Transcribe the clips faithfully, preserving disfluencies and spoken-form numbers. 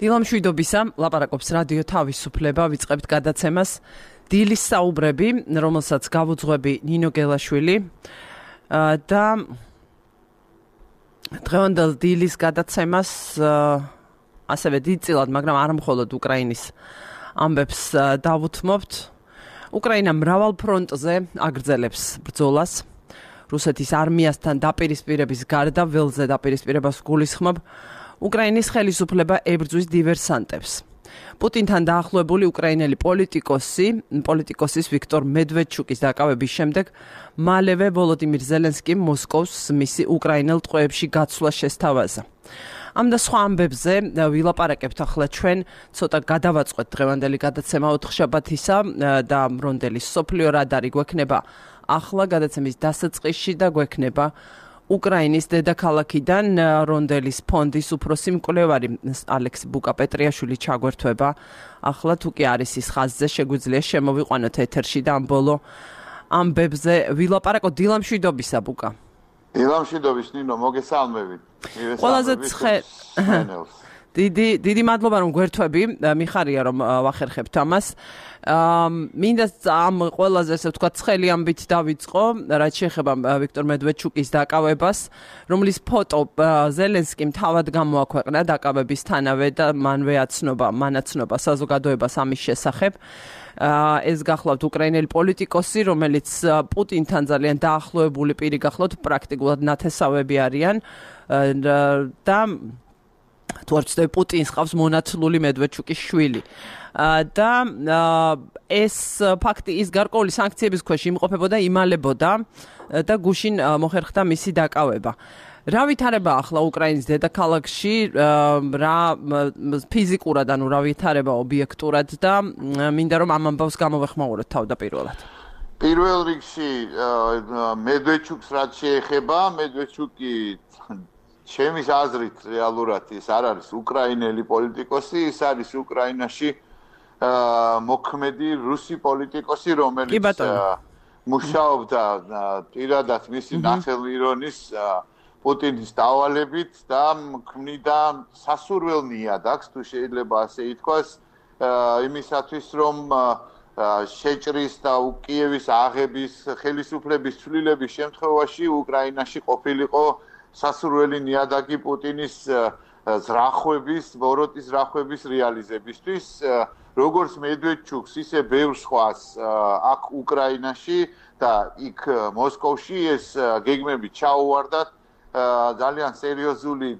დილამშვიდობისა, ლაპარაკობს რადიო თავისუფლება, ვიწყებთ გადაცემას დილის საუბრები, რომელსაც გავუძღვები ნინო გელაშვილი და დღევანდელ დილის გადაცემას ასევე დიდწილად, მაგრამ არა მხოლოდ უკრაინის ამბებს დავუთმობთ. უკრაინა მრავალ ფრონტზე აგრძელებს ბრძოლას. რუსეთის არმიასთან დაპირისპირების გარდა ველზე დაპირისპირებას გულისხმობ უკრაინის ხელისუფლება ებრძვის დივერსანტებს. პუტინთან დაახლოებული უკრაინელი პოლიტიკოსი, პოლიტიკოსის ვიქტორ მედვედჩუკის დაკავების შემდეგ მალევე ვოლოდიმირ ზელენსკიმ მოსკოვს მისი უკრაინელ ტყვეებში გაცვლა შესთავაზა. ამ და სხვა ამბებზე ვილაპარაკებთ ახლა ჩვენ, ცოტა გადავაწყვეთ დღევანდელი გადაცემა ოთხშაბათისა და მრონდელის სოფლიო რადარი გვექნება ახლა გადაცემის დასაწყისში და გვექნება უკრაინის დედაქალაქიდან რონდელის ფონდის უფროსი მკვლევარი ალექსი ბუკა-პეტრიაშვილი ჩაგვერთვება. ახლა თუ კი არის ის ხაზზე, შეგვიძლია შემოვიყვანოთ ეთერში და ამ ბოლო ამბებზე ვილაპარაკოთ. დილამშვიდობისა, ბუკა. დილამშვიდობის, ნინო, მოგესალმებით. ყველაზე ცხე დიდი დიდი მადლობა რომ გვერთვები, მიხარია რომ ვახერხებთ ამას. მინდა ამ ყველაზე ესე ვთქვათ ცხელი ამბით დავიწყო, რაც შეეხება ვიქტორ მედვედჩუკის დაკავებას, რომლის ფოტო ზელენსკიმ თავად გამოაქვეყნა დაკავებისთანავე და მანვე აცნობა, მანაცნობა საზოგადოებას ამის შესახებ. ეს გახლავთ უკრაინელი პოლიტიკოსი, რომელიც პუტინთან ძალიან დაახლოებული პირი გახლავთ, პრაქტიკულად ნათესავები არიან და თუ არ ვცდები, პუტინს ყავს მონათლული მედვედჩუკის შვილი. და ეს ფაქტი ის გარკვეული სანქციების ქვეშ იმყოფებოდა, იმალებოდა და გუშინ მოხერხდა მისი დაკავება. რა ვითარება ახლა უკრაინის დედაქალაქში, რა ფიზიკურად, ანუ რა ვითარება ობიექტურად და მინდა რომ ამ ამბავს გამოვეხმაუროთ თავდაპირველად. პირველ რიგში მედვედჩუკს რაც შეეხება, მედვედჩუკი ჩემის აზრით რეალურად ის არ არის უკრაინელი პოლიტიკოსი, ის არის უკრაინაში მოქმედი რუსი პოლიტიკოსი, რომელიც მუშაობდა პირადად მისი ნახელვირონის პუტინის დავალებით და ქმნიდა სასურველ ნიადაგს, თუ შეიძლება ასე ითქვას, იმისათვის რომ შეჭრის და კიევის აღების ხელისუფლების ცვლილების შემთხვევაში უკრაინაში ყოფილიყო სასურველი ნიადაგი პუტინის ზრახვების, ბოროტის ზრახვების რეალიზებისთვის, როგორც მედვედჩუკს, ისე ბევრ სხვას აქ უკრაინაში და იქ მოსკოვში ეს გეგმები ჩაუვარდათ, ძალიან სერიოზული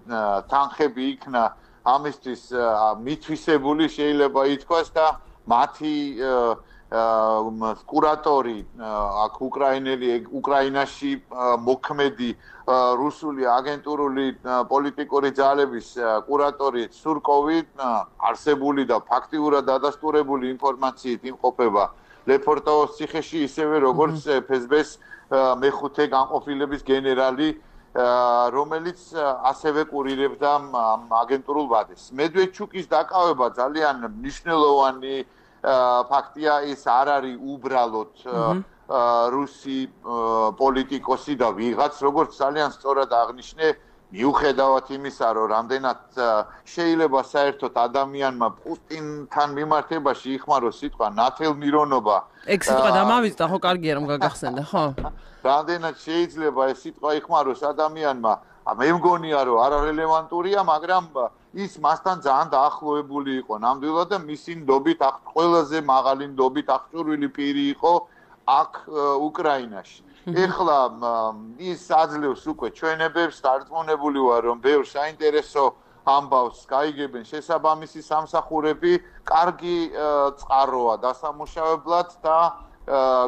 თანხები იქნა ამისთვის მითვისებული, შეიძლება ითქვას და მათი კურატორი აქ უკრაინელი უკრაინაში მოქმედი რუსული აგენტურული პოლიტიკური ძალების კურატორი სურკოვი არსებული და ფაქტიურად დადასტურებული ინფორმაციით იმყოფება ლეფორტოვოს ციხეში, ისევე როგორც ეფ ეს ბე-ს მეხუთე განყოფილების გენერალი, რომელიც ასევე კურირებდა აგენტურულ ვადეს. მედვედჩუკის დაკავება ძალიან მნიშვნელოვანი ფაქტია, ის არ არის უბრალოდ რუსი პოლიტიკოსი და ვიღაც, როგორც ძალიან სწორად აღნიშნე, მიუხედავად იმისა, რომ რამდენად შეიძლება საერთოდ ადამიანმა პუტინთან მიმართებაში იხმაროს სიტყვა ნათელმირონობა. ეგ სიტყვა დამავიწყდა, ხო, კარგია რომ გაგახსენდა, ხო? რამდენად შეიძლება ეს სიტყვა იხმაროს ადამიანმა, მე მგონია, რომ არარელევანტურია, მაგრამ ის მასთან ძალიან დაახლოებული იყო ნამდვილად და მისი ნდობით აქ ყველაზე მაღალი ნდობით აღჭურვილი პირი იყო აქ უკრაინაში. ეხლა ის აძლევს უკვე ჩვენებებს, დარწმუნებული ვარ, რომ ბევრ საინტერესო ამბავს გაიგებენ შესაბამისი სამსახურები, კარგი წყაროა დასამუშავებლად და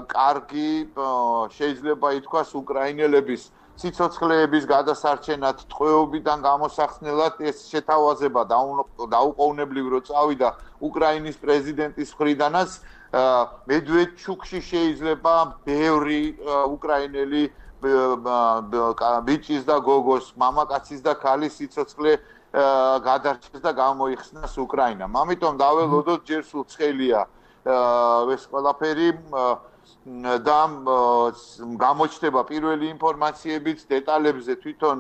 კარგი შეიძლება ითქვას უკრაინელების სიცოცხლეების გადასარჩენად, ტყვეობიდან გამოსახსნელად ეს შეთავაზება დაუყოვნებლივ რო წავიდა უკრაინის პრეზიდენტის მხრიდანაც, მედვედჩუკში შეიძლება ბევრი უკრაინელი ბიჭის და გოგოს, მამაკაცის და ქალის სიცოცხლე გადარჩეს და გამოიხსნას უკრაინამ. ამიტომ დაველოდოთ ჯერ სულ ცხელია ეს ყველაფერი და გამოჩნდება პირველი ინფორმაციებიც, დეტალებზე თვითონ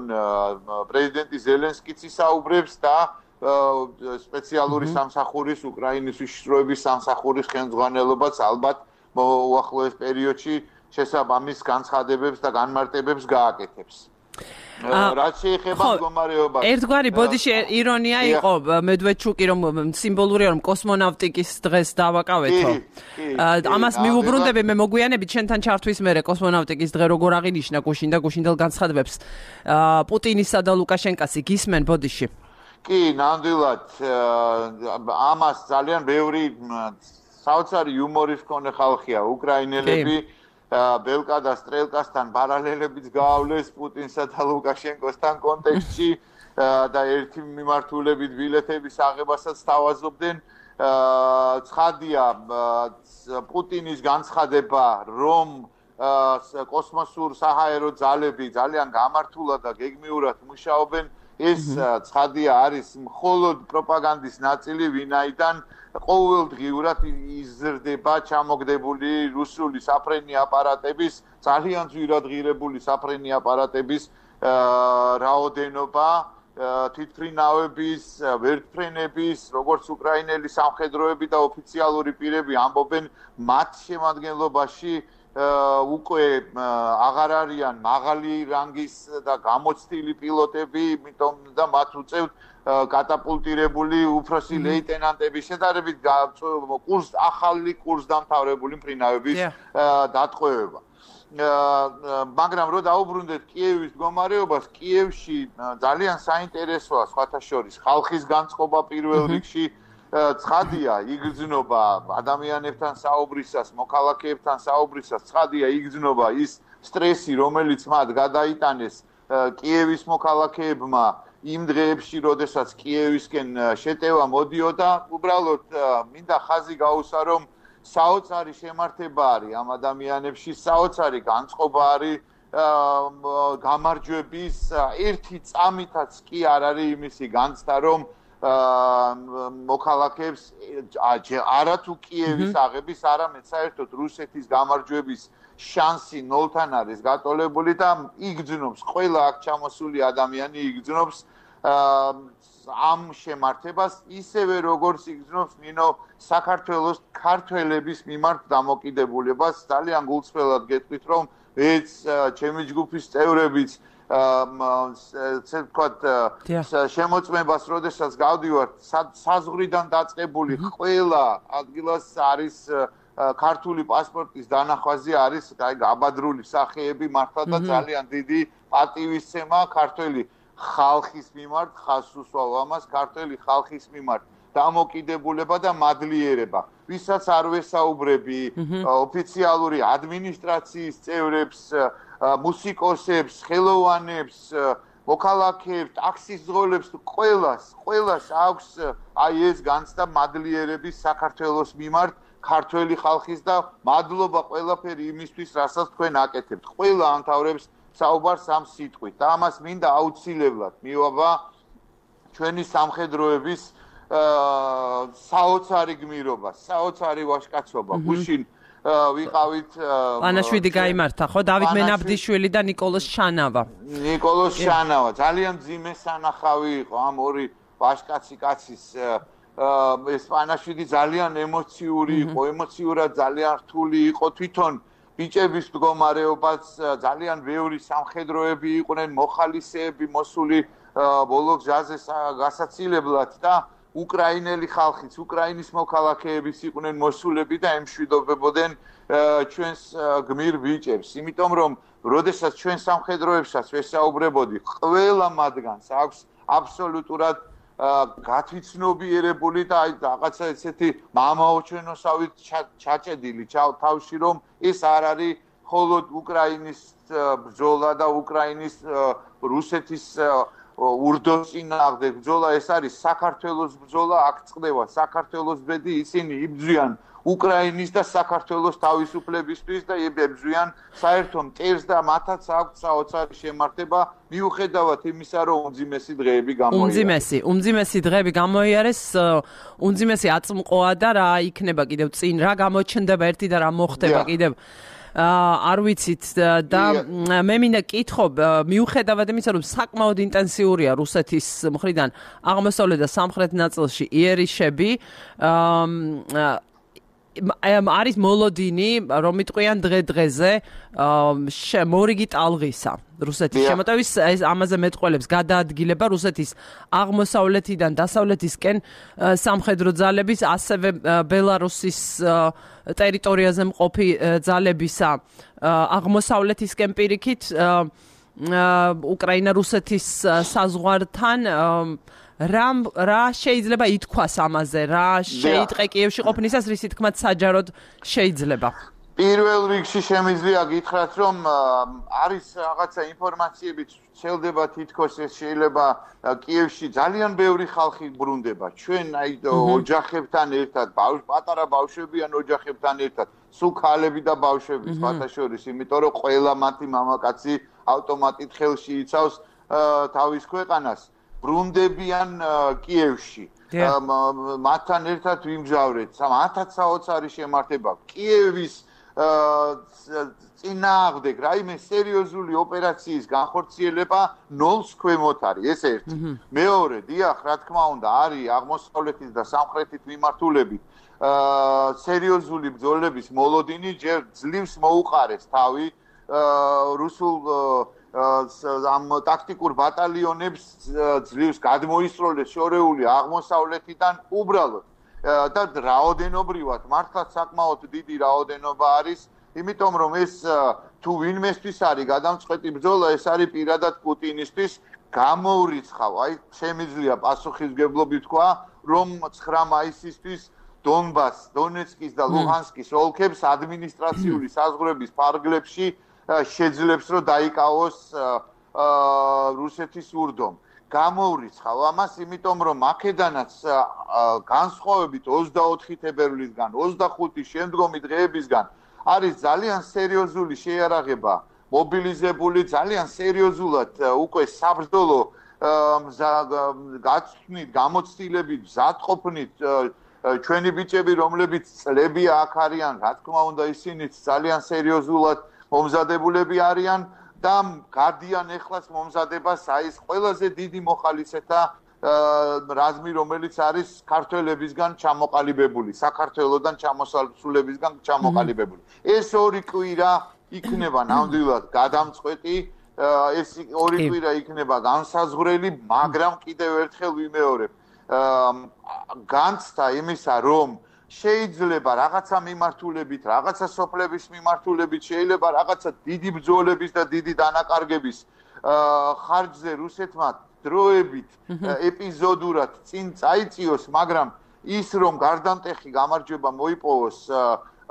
პრეზიდენტი ზელენსკიც ისაუბრებს და სპეციალური სამსახურის უკრაინის უშიშროების სამსახურის ხელმძღვანელობაც ალბათ უახლოეს პერიოდში შესაბამის განცხადებებს და განმარტებებს გააკეთებს. რაც შეეხება მდგომარეობას. ერთგვარი ბოდიში ირონია იყო მედვედჩუკი რომ სიმბოლურია რომ კოსმონავტიკის დღეს დავაკავეთო. ამას მიუბრუნდები მე მოგვიანებით შენთან ჩართვის მერე კოსმონავტიკის დღე როგორ აღინიშნა გუშინ და გუშინდელ განცხადებებს პუტინისა და ლუკაშენკას გისმენ ბოდიში. კი, ნამდვილად ამას ძალიან ბევრი საოცარი იუმორის მქონე ხალხია უკრაინელები. ბელკა და სტრელკასთან პარალელებიც გაავლეს პუტინსა და ლუკაშენკოსთან კონტექსტში და ერთი მიმართულებით ბილეთების აღებასაც თავაზობდნენ. ცხადია პუტინის განცხადება, რომ კოსმოსურ საჰაერო ძალები ძალიან გამართულად და გეგმიურად მუშაობენ, ეს ცხადია არის მხოლოდ პროპაგანდის ნაწილი, ვინაიდან ყოველდღიურად იზრდება ჩამოგდებული რუსული საფრენი აპარატების, ძალიან ძვირადღირებული საფრენი აპარატების რაოდენობა, თვითმფრინავების, ვერტმფრენების, როგორც უკრაინელი სამხედროები და ოფიციალური პირები ამბობენ, მათ შემადგენლობაში უკვე აღარ არიან მაღალი რანგის და გამოცდილი პილოტები, იმიტომ და მათ უწევთ კატაპულტირებული უფროსი ლეიტენანტების შედარებით კურს ახალი კურსდამთავრებული მფრინავების დატყვევება. მაგრამ რო დაუბრუნდეთ კიევის მდგომარეობას, კიევში ძალიან საინტერესოა სხვათა შორის ხალხის განწყობა პირველ რიგში. ცხადია იგრძნობა ადამიანებთან საუბრისას, მოქალაქეებთან საუბრისას, ცხადია იგრძნობა ის სტრესი, რომელიც მათ გადაიტანეს კიევის მოქალაქეებმა იმ დღეებში, როდესაც კიევისკენ შეტევა მოდიოდა, უბრალოდ მინდა ხაზი გაუსვა, რომ საოცარი შემართება არის ამ ადამიანებში, საოცარი განწყობა არის გამარჯვების, ერთი წამითაც კი არ არის იმისი განცდა, რომ მოქალაქეებს არათუ კიევის აღების, არამედ საერთოდ რუსეთის გამარჯვების შანსი ნოლთან არის გატოლებული და იგრძნობს ყველა აქ ჩამოსული ადამიანი იგრძნობს ამ შემართებას ისევე როგორც იგრძნობს ნინო საქართველოს ქართველების მიმართ დამოკიდებულებას. ძალიან გულწრფელად გეტყვით, რომ ეც ჩემი ჯგუფის წევრებიც ასე ვთქვათ შემოწმებას, როდესაც გავდივართ საზღვრიდან დაწყებული ყველა ადგილას არის ქართული პასპორტის დანახვაზე არის გაბადრული სახეები მართლა და ძალიან დიდი პატივისცემა ქართველი ხალხის მიმართ, ხაზს უსვავ ამას, ქართველი ხალხის მიმართ დამოკიდებულება და მადლიერება. ვისაც არ ვესაუბრები, ოფიციალური ადმინისტრაციის წევრებს, მუსიკოსებს, ხელოვანებს, მოქალაქეებს, ტაქსის ძღოლებს, ყველას, ყველას აქვს აი ეს განცდა მადლიერების საქართველოს მიმართ, ქართველი ხალხის და მადლობა ყველაფერი იმისთვის, რასაც თქვენ აკეთებთ. ყველა ამთავრებს საუბარს ამ სიტყვით და ამას მინდა აუცილებლად მივაბა ჩვენი სამხედროების საოცარი გმირობა, საოცარი ვაჟკაცობა. გუშინ ვიყავით პანაშვიდი გაიმართა ხო? დავით მენაბდიშვილი და ნიკოლოზ შანავა. ნიკოლოზ შანავა ძალიან ძიმე სანახავი იყო ამ ორი ვაჟკაცი კაცის. ეს პანაშვიდი ძალიან ემოციური იყო, ემოციურად ძალიან რთული იყო თვითონ ბიჭების მდგომარეობაც, ძალიან ბევრი სამხედროები იყვნენ, მოხალისეები მოსული ბოლო გზაზე გასაცილებლად და უკრაინელი ხალხიც, უკრაინის მოქალაქეებიც იყვნენ მოსულები და ემშვიდობებოდნენ ჩვენს გმირ ბიჭებს. იმიტომ რომ როდესაც ჩვენ სამხედროებსაც ვესაუბრებოდი, ყველა მათგანს აქვს აბსოლუტურად გათვითცნობიერებული და აი რაღაცა ესეთი მამაოჩვენოსავით ჩაჭედილი თავში, რომ ეს არ არის მხოლოდ უკრაინის ბრძოლა და უკრაინის რუსეთის ურდოს წინააღმდეგ ბრძოლა, ეს არის საქართველოს ბრძოლა, აქ წყდება საქართველოს ბედი, ისინი იბრძვიან უკრაინის და საქართველოს თავისუფლებისთვის და ებრძვიან საერთო მტერს და მათაც აქვს საოცარი შემართება მიუხედავად იმისა, რომ უმძიმესი დღეები გამოიარეს. უმძიმესი, უმძიმესი დღეები გამოიარეს, უმძიმესი აწმყოა და რა იქნება კიდევ წინ, რა გამოჩნდება ერთი და რა მოხდება კიდევ. არ ვიცით და მე მინდა კითხო მიუხედავად იმისა რომ საკმაოდ ინტენსიურია რუსეთის მხრიდან აღმოსავლეთ და სამხრეთ ნაწილში იერიშები არის მოლოდინი რომ იტყვიან დღე-დღეზე მორიგი ტალღისა რუსეთის შემოტევის ეს ამაზე მეტყველებს გადაადგილება რუსეთის აღმოსავლეთიდან დასავლეთისკენ სამხედრო ძალების ასევე ბელარუსის ტერიტორიაზე მყოფი ძალებისა აღმოსავლეთისკენ პირიქით უკრაინა რუსეთის საზღვართან რამ რა შეიძლება ითქვას ამაზე რა შეიტყე კიევში ყოფნისას რის თქმაც საჯაროდ შეიძლება პირველ რიგში შემიძლია გითხრათ რომ არის რაღაცა ინფორმაციები შეიძლება თითქოს ეს შეიძლება კიევში ძალიან ბევრი ხალხი ბრუნდება ჩვენ აი ოჯახებთან ერთად პატარა ბავშვებიან ოჯახებთან ერთად სულ ქალები და ბავშვები სხვათა შორის იმიტომ რომ ყველა მათი მამაკაცი ავტომატით ხელში იცავს თავის ქვეყანას ბრუნდებიან კიევში მათთან ერთად ვიმგზავრეთ ათაც საოცარი შემართება კიევის წინააღმდეგ რაიმე სერიოზული ოპერაციის განხორციელება ნოლს ქვემოთ არის ეს ერთი მეორე დიახ რა თქმა უნდა არის აღმოსავლეთის და სამხრეთის მიმართულებით სერიოზული ბრძოლების მოლოდინი ჯერ ძლივს მოუყარეს თავი რუსულ ამ ტაქტიკურ ბატალიონებს ძლივს გადმოისროლეს შორეული აღმოსავლეთიდან უბრალოდ და რაოდენობრივად მართლაც საკმაოდ დიდი რაოდენობა არის იმიტომ რომ ეს თუ ვინმესთვის არის გადამწყვეტი ბრძოლა ეს არის პირადად პუტინისთვის გამოურიცხავ აი შემიძლია პასუხისგებლობით თქვა რომ ცხრა მაისისთვის დონბას დონეცკის და ლუჰანსკის ოლქებს ადმინისტრაციული საზღვრების ფარგლებში შეძლებს რომ დაიკავოს რუსეთის ურდომ. გამოურიცხავ ამას, იმიტომ რომ აქედანაც განსხვავებით ოცდაოთხი თებერვლისგან, ოცდახუთი შემდგომი დღეებისგან არის ძალიან სერიოზული შეიარაღება მობილიზებული, ძალიან სერიოზულად უკვე საბრძოლო გაცვნით, გამოცდილებით, მზადყოფნით ჩვენი ბიჭები, რომლებიც წლებია აქ არიან, რა თქმა უნდა, ისინიც ძალიან სერიოზულად მომზადებულები არიან და გადიან ეხლას მომზადებას აი ეს ყველაზე დიდი მოხალისეთა რაზმი, რომელიც არის ქართველებისგან ჩამოყალიბებული, საქართველოსდან ჩამოსასრულებისგან ჩამოყალიბებული. ეს ორი კვირა იქნება ნამდვილად გადამწყვეტი, ეს ორი კვირა იქნება განსაზღვრელი, მაგრამ კიდევ ერთხელ ვიმეორებ, განცდა იმისა, რომ შეიძლება რაღაცა მიმართულებით, რაღაცა სოფლების მიმართულებით, შეიძლება რაღაცა დიდი ბრძოლების და დიდი დანაკარგების ხარჯზე რუსეთმა დროებით ეპიზოდურად წინ წაიწიოს, მაგრამ ის რომ გარდამტეხი გამარჯვება მოიპოვოს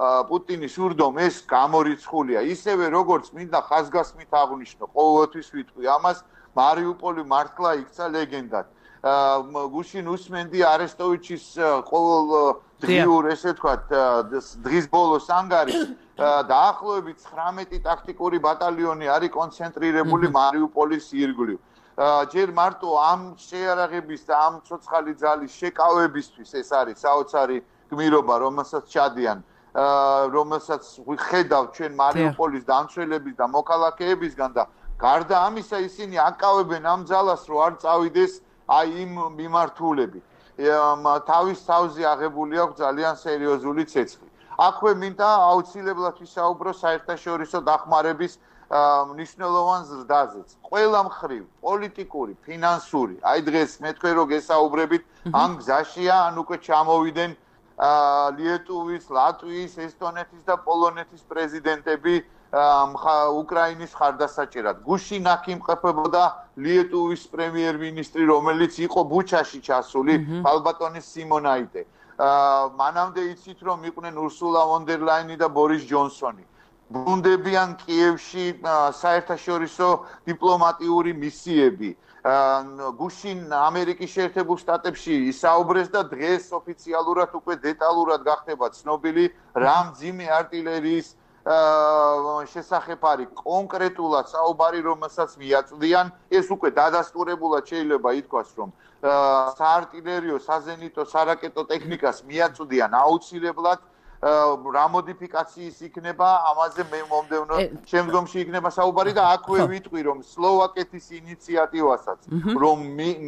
პუტინის ურდომ, ეს გამორიცხულია. ისევე როგორც მინდა ხაზგასმით აღვნიშნო, ყოველთვის ვიტყვი ამას, მარიუპოლი მართლა იქცა ლეგენდად. გუშინ უსმენდი არესტოვიჩის ყოველ დღიურ, ესე ვთქვათ, დღის ბოლოს ანგარიშს, დაახლოებით ცხრამეტი ტაქტიკური ბატალიონი არის კონცენტრირებული მარიუპოლის ირგვლივ. ჯერ მარტო ამ შეიარაღების და ამ ცოცხალი ძალის შეკავებისთვის ეს არის საოცარი გმირობა, რომელსაც ჩადიან, რომელსაც ვხედავ ჩვენ მარიუპოლის დამცველების და მოქალაქეებისგან და გარდა ამისა ისინი აკავებენ ამ ძალას, რომ არ წავიდეს აი იმ მიმართულებით. თავის თავზე აღებული აქვს ძალიან სერიოზული ცეცხლი. აქვე მინდა აუცილებლად ვისაუბრო საერთაშორისო დახმარების მნიშვნელოვან ზრდაზეც. ყველა მხრივ, პოლიტიკური, ფინანსური, აი დღეს მე თქვენ რომ გესაუბრებით, ამ გზაშია, ან უკვე ჩამოვიდნენ ლიეტუვის, ლატვიის, ესტონეთის და პოლონეთის პრეზიდენტები უკრაინის ხარდასაჭერად. გუშინ აქ იმყოფებოდა ლიეტუვის პრემიერ-მინისტრი, რომელიც იყო ბუჩაში ჩასული, ალბატონის სიმონაიტე. მანამდე იცით, რომ იყვნენ ურსულა ვონ დერ ლაინი და ბორის ჯონსონი. ბრუნდებიან კიევში საერთაშორისო დიპლომატიური მისიები. გუშინ ამერიკის შეერთებულ შტატებში ისაუბრეს და დღეს ოფიციალურად უკვე დეტალურად გახდება ცნობილი რა მძიმე არტილერიის შესახებ არის კონკრეტულად საუბარი, რომელსაც მიაწვდიან, ეს უკვე დადასტურებულად შეიძლება ითქვას, რომ საარტილერიო, საზენიტო, სარაკეტო ტექნიკას მიაწვდიან აუცილებლად რა მოდიფიკაციის იქნება ამაზე მე მომდევნო შემდგომში იქნება საუბარი და აქვე ვიტყვი რომ სლოვაკეთის ინიციატივასაც რომ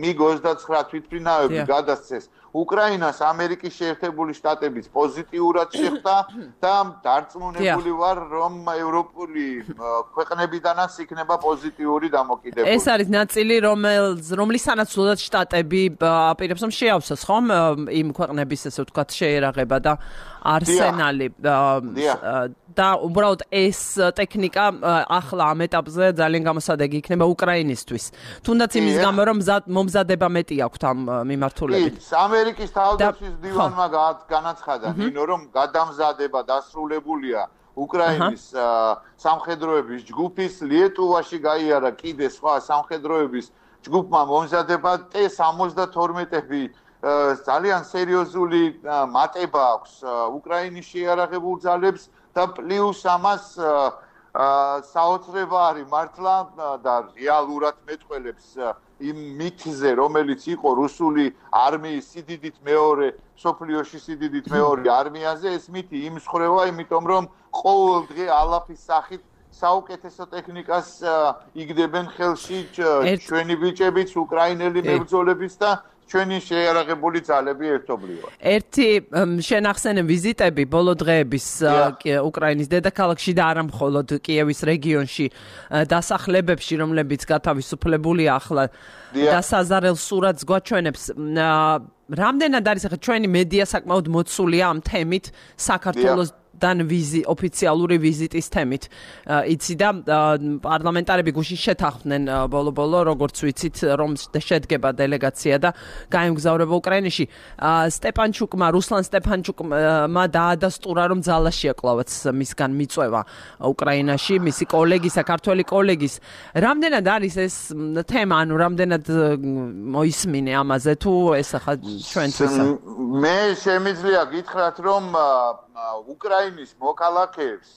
მიგ ოცდათვრამეტ თვითმფრინავები გადასცეს უკრაინას ამერიკის შეერთებული შტატების პოზიტიურად შეხვდა და დარწმუნებული ვარ რომ ევროპული ქვეყნებიდანაც იქნება პოზიტიური დამოკიდებულება. ეს არის ნაწილი რომლის სანაცვლოდ შტატები აპირებს რომ შეავსოს ხომ იმ ქვეყნების ესე ვთქვათ შეერაღება და არსენალი და უბრალოდ ეს ტექნიკა ახლა ამ ეტაპზე ძალიან გამოსადეგი იქნება უკრაინისთვის. თუნდაც იმის გამო რომ მომზადება მეტი აქვს ამ მიმართულებით. ამერიკის თავდაცვის დივანმა განაცხადა ნინო რომ გადამზადება დასრულებულია უკრაინის სამხედროების ჯგუფის ლიეტუვაში გაიარა კიდე სხვა სამხედროების ჯგუფმა მომზადება ტე სამოცდათორმეტები ძალიან სერიოზული მატება აქვს უკრაინის შეიარაღებულ ძალებს და პლუს ამას საოცრება არის მართლა და რეალურად მეტყველებს იმ მითზე რომელიც იყო რუსული არმიის სიდიდით მეორე სოფლიოში სიდიდით მეორე არმიაზე ეს მითი იმსხრევა იმიტომ რომ ყოველ დღე ალაფის სახით საუკეთესო ტექნიკას იგდებენ ხელში ჩვენი ბიჭებიც უკრაინელი მებრძოლებიც და ჩვენი შეიარაღებული ძალები ერთობლივად. ერთი შენახსენე ვიზიტები ბოლო დღეების უკრაინის დედაქალაქში და არა მხოლოდ კიევის რეგიონში დასახლებებში, რომლებიც გათავისუფლებულია ახლა და საზარელ სურათს გვაჩვენებს. რამდენად არის ახლა ჩვენი მედია საკმაოდ მოცულია ამ თემით საქართველოს დან ვიზი ოფიციალური ვიზიტის თემით. იცი და პარლამენტარები გუშინ შეთანხმდნენ ბოლო-ბოლო როგორც ვიცით რომ შედგება დელეგაცია და გაემგზავრება უკრაინაში. სტეპანჩუკმა რუსლან სტეპანჩუკმა დაადასტურა რომ ძალაშია კლავაც მისგან მიწვევა უკრაინაში მისი კოლეგი საქართველოს კოლეგის. რამდენად არის ეს თემა ანუ რამდენად მოისმინე ამაზე თუ ეს ახლა ჩვენთვის მე შემიძლია გითხრათ რომ უკრაინის მოქალაქეებს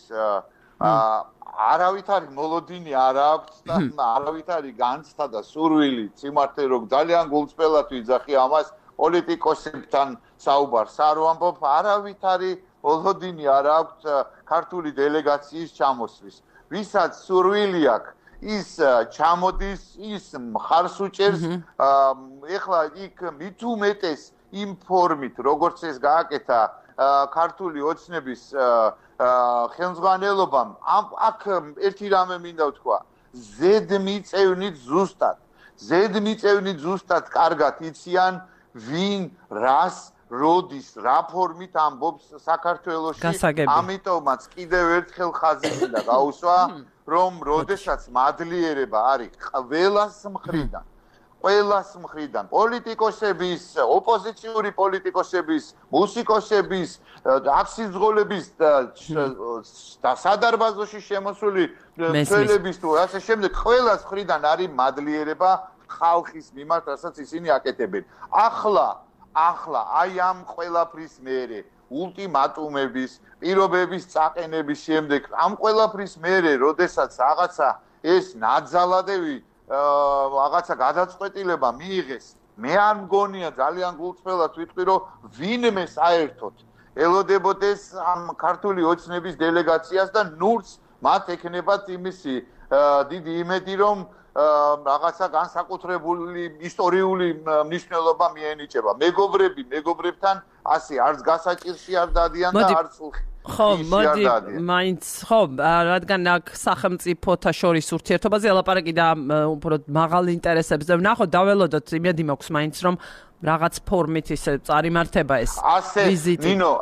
არავით არის მოლოდინი არ აქვს და არავით არის განცდა და სურვილი სიმართლე რომ ძალიან გულწრფელად ვიძახი ამას პოლიტიკოსებთან საუბარს არ ვამბობ არავით არის მოლოდინი არ აქვს ქართული დელეგაციის ჩამოსვლის ვისაც სურვილი აქვს ის ჩამოდის ის მხარს უჭერს ეხლა იქ მით უმეტეს იმ ფორმით როგორც ეს გააკეთა ქართული ოცნების ხელმძღვანელობამ აქ ერთი რამე მინდა ვთქვა ზედმიწევნით ზუსტად ზედმიწევნით ზუსტად კარგად იციან ვინ რას როდის რა ფორმით ამბობს საქართველოში ამიტომაც კიდევ ერთხელ ხაზი მინდა გაუსვა რომ როდესაც მადლიერება არის ყველას მხრიდან ყველას მხრიდან პოლიტიკოსების, ოპოზიციური პოლიტიკოსების, მუსიკოსების, აფსიძღოლების და სადარბაზოში შემოსული მცველების თუ ასე შემდეგ ყველას მხრიდან არის მადლიერება ხალხის მიმართ, რასაც ისინი აკეთებენ. ახლა, ახლა აი ამ ყველაფრის მერე ულტიმატუმების, პირობების წაყენების შემდეგ ამ ყველაფრის მერე, როდესაც რაღაცა ეს ნაძალადევი რაღაცა გადაწყვეტილება მიიღეს მე არ მგონია ძალიან გულწრფელად ვიტყვი რომ ვინმე საერთოდ ელოდებოდეს ამ ქართული ოცნების დელეგაციას და ნურს მათ ექნებათ იმისი დიდი იმედი რომ რაღაცა განსაკუთრებული ისტორიული მნიშვნელობა მიენიჭება მეგობრები მეგობრებთან ასე არც გასაჭირში არ დადიან და არც ხო, მოდი, მაინც ხო, რადგან აქ სახელმწიფოთა შორის ურთიერთობაზე ელაპარაკი და უბრალოდ მაღალ ინტერესებზე ვნახოთ, დაველოდოთ იმედი მაქვს მაინც რომ რაღაც ფორმით ისე წარიმართება ეს ვიზიტი. ნინო,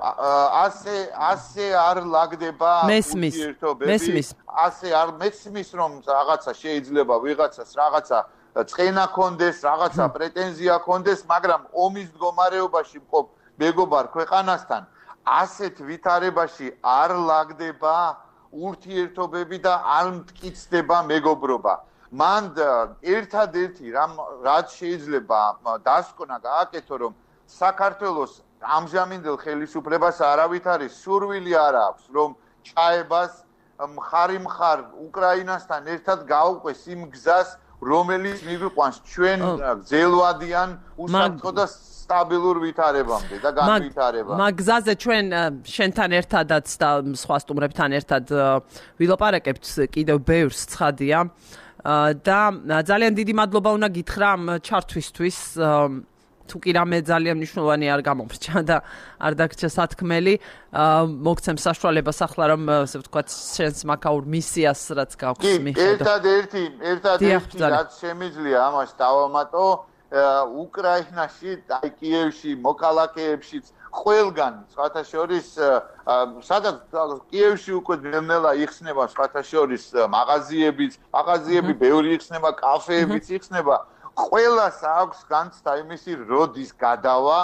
ასე ასე არ ლაგდება ურთიერთობები. მესმის. ასე არ მესმის რომ რაღაცა შეიძლება ვიღაცას რაღაცა წენა კონდეს, რაღაცა პრეტენზია კონდეს, მაგრამ ომის მდგომარეობაში მყოფ მეგობარ ქვეყანასთან ასეთ ვითარებაში არ ლაგდება ურთიერთობები და არ მტკიცდება მეგობრობა. მან ერთადერთი რაც შეიძლება დასკვნა გააკეთო რომ საქართველოს ამჟამინდელ ხელისუფლებას არავით არის სურვილი არ აქვს რომ ჩაებას მხარი მხარ უკრაინასთან ერთად გაუყვეს იმ გზას რომელიც მივიყვანს ჩვენ გზელვადიან უსაფრთხო და სტაბილურ ვითარებამდე და განვითარებამდე. მაგ გზაზე ჩვენ შენთან ერთადაც და სხვა სტუმრებთან ერთად ვილაპარაკებთ კიდევ ბევრს ცხადია და ძალიან დიდი მადლობა უნდა გითხრა ამ ჩართვისთვის. თუ კი რამე ძალიან მნიშვნელოვანი არ გამოვრჩა და არ დაგჭირა სათქმელი, მოგცემ საშუალებას ახლა რომ ასე ვთქვათ, შენს მაკაურ მისიას რაც გაქვს მიხედო. ერთადერთი, ერთადერთი რაც შემიძლია ამას დავამატო, უკრაინაში, აი კიევში, მოკალაკეებშიც ყველგან, სხვათა შორის, სადაც კიევში უკვე ნელ-ნელა იხსნება სხვათა შორის მაღაზიებიც, მაღაზიები ბევრი იხსნება, კაფეებიც იხსნება. ყველას აქვს განცდა იმისი როდის გადავა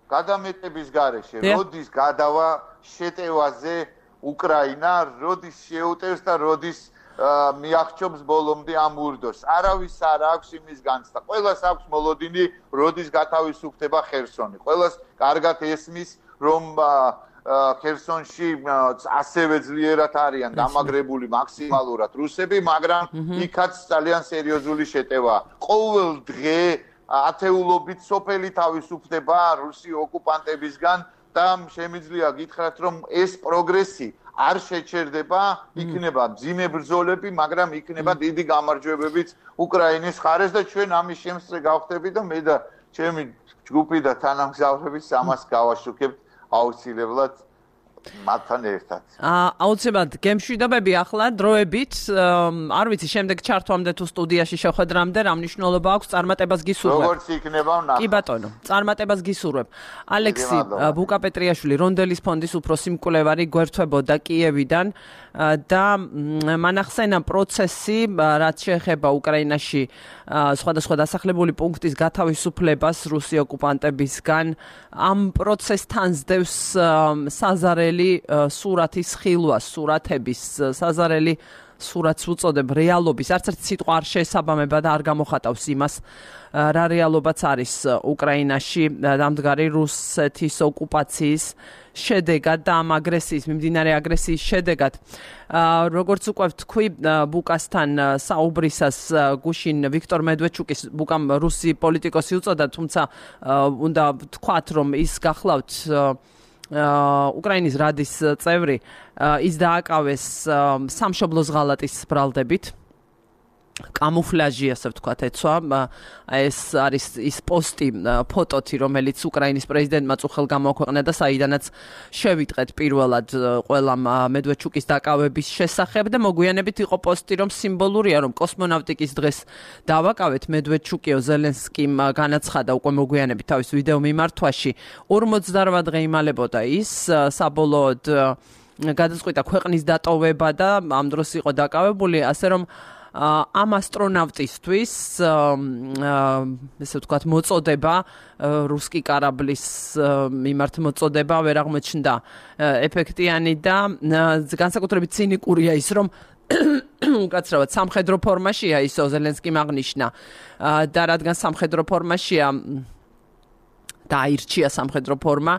გადამეტების გარეშე, როდის გადავა შეტევაზე უკრაინა, როდის შეუტევს და როდის მიახჩობს ბოლომდე ამ ურდოს. არავის არ აქვს იმის განცდა. ყველას აქვს მოლოდინი, როდის გათავისუფლდება ხერსონი. ყველას კარგად ესმის, რომ ხერსონში ასევე ძლიერად არიან დამაგრებული მაქსიმალურად რუსები, მაგრამ იქაც ძალიან სერიოზული შეტევა. ყოველ დღე ათეულობით სოფელი თავისუფლდება რუსი ოკუპანტებისგან და შემიძლია გითხრათ, რომ ეს პროგრესი არ შეჩერდება, იქნება მძიმე ბრძოლები, მაგრამ იქნება დიდი გამარჯვებებიც უკრაინის მხარეს და ჩვენ ამის შემსწრე გავხდები და მე და ჩემი ჯგუფი და თანამგზავრებიც ამას გავაშუქებთ აუცილებლად მათთან ერთად. აუცილებლად გემშვიდობები ახლა დროებით, არ ვიცი შემდეგ ჩართვამდე თუ სტუდიაში შეხვედრამდე რა მნიშვნელობა აქვს წარმატებას გისურვებ. როგორც იქნება ვნახავთ. კი ბატონო, წარმატებას გისურვებ. ალექსი ბუკაპეტრიაშვილი, რონდელის ფონდის უფროსი მკვლევარი გვერდთვებოდა კიევიდან და მანახსენა პროცესი, რაც შეეხება უკრაინაში სხვადასხვა დასახლებული პუნქტის გათავისუფლებას რუსი ოკუპანტებისგან, ამ პროცესთან სდევს საზარელი სურათის ხილვას, სურათების საზარელი სურათს უწოდებ რეალობის, არც ერთი სიტყვა არ შეესაბამება და არ გამოხატავს იმას, რა რეალობაც არის უკრაინაში დამდგარი რუსეთის ოკუპაციის შედეგად და ამ აგრესიის, მიმდინარე აგრესიის შედეგად. როგორც უკვე ვთქვი, ბუკასთან საუბრისას გუშინ ვიქტორ მედვედჩუკის ბუკამ რუსი პოლიტიკოსი უწოდა, თუმცა უნდა ვთქვათ, რომ ის გახლავთ უკრაინის რადის წევრი, ის დააკავეს სამშობლოს ღალატის ბრალდებით. კამუფლაჟი, ასე ვთქვათ, ეცვა. ეს არის ის პოსტი, ფოტოთი, რომელიც უკრაინის პრეზიდენტმა წუხელ გამოაქვეყნა და საიდანაც შევიტყეთ პირველად ყველამ მედვედჩუკის დაკავების შესახებ და მოგვიანებით იყო პოსტი, რომ სიმბოლურია, რომ კოსმონავტიკის დღეს დავაკავეთ მედვედჩუკიო ზელენსკიმ განაცხადა უკვე მოგვიანებით თავის ვიდეო მიმართვაში. ორმოცდარვა დღე იმალებოდა ის, საბოლოოდ გადაწყვიტა ქვეყნის დატოვება და ამ დროს იყო დაკავებული, ასე რომ ამ ასტრონავტისთვის ესე ვთქვათ მოწოდება რუსკი კარაბლის მიმართ მოწოდება ვერ აღმოჩნდა ეფექტიანი და განსაკუთრებით ცინიკურია ის რომ უკაცრავად სამხედრო ფორმაშია ისო ზელენსკიმ აღნიშნა და რადგან სამხედრო ფორმაშია დაირჩია სამხედრო ფორმა,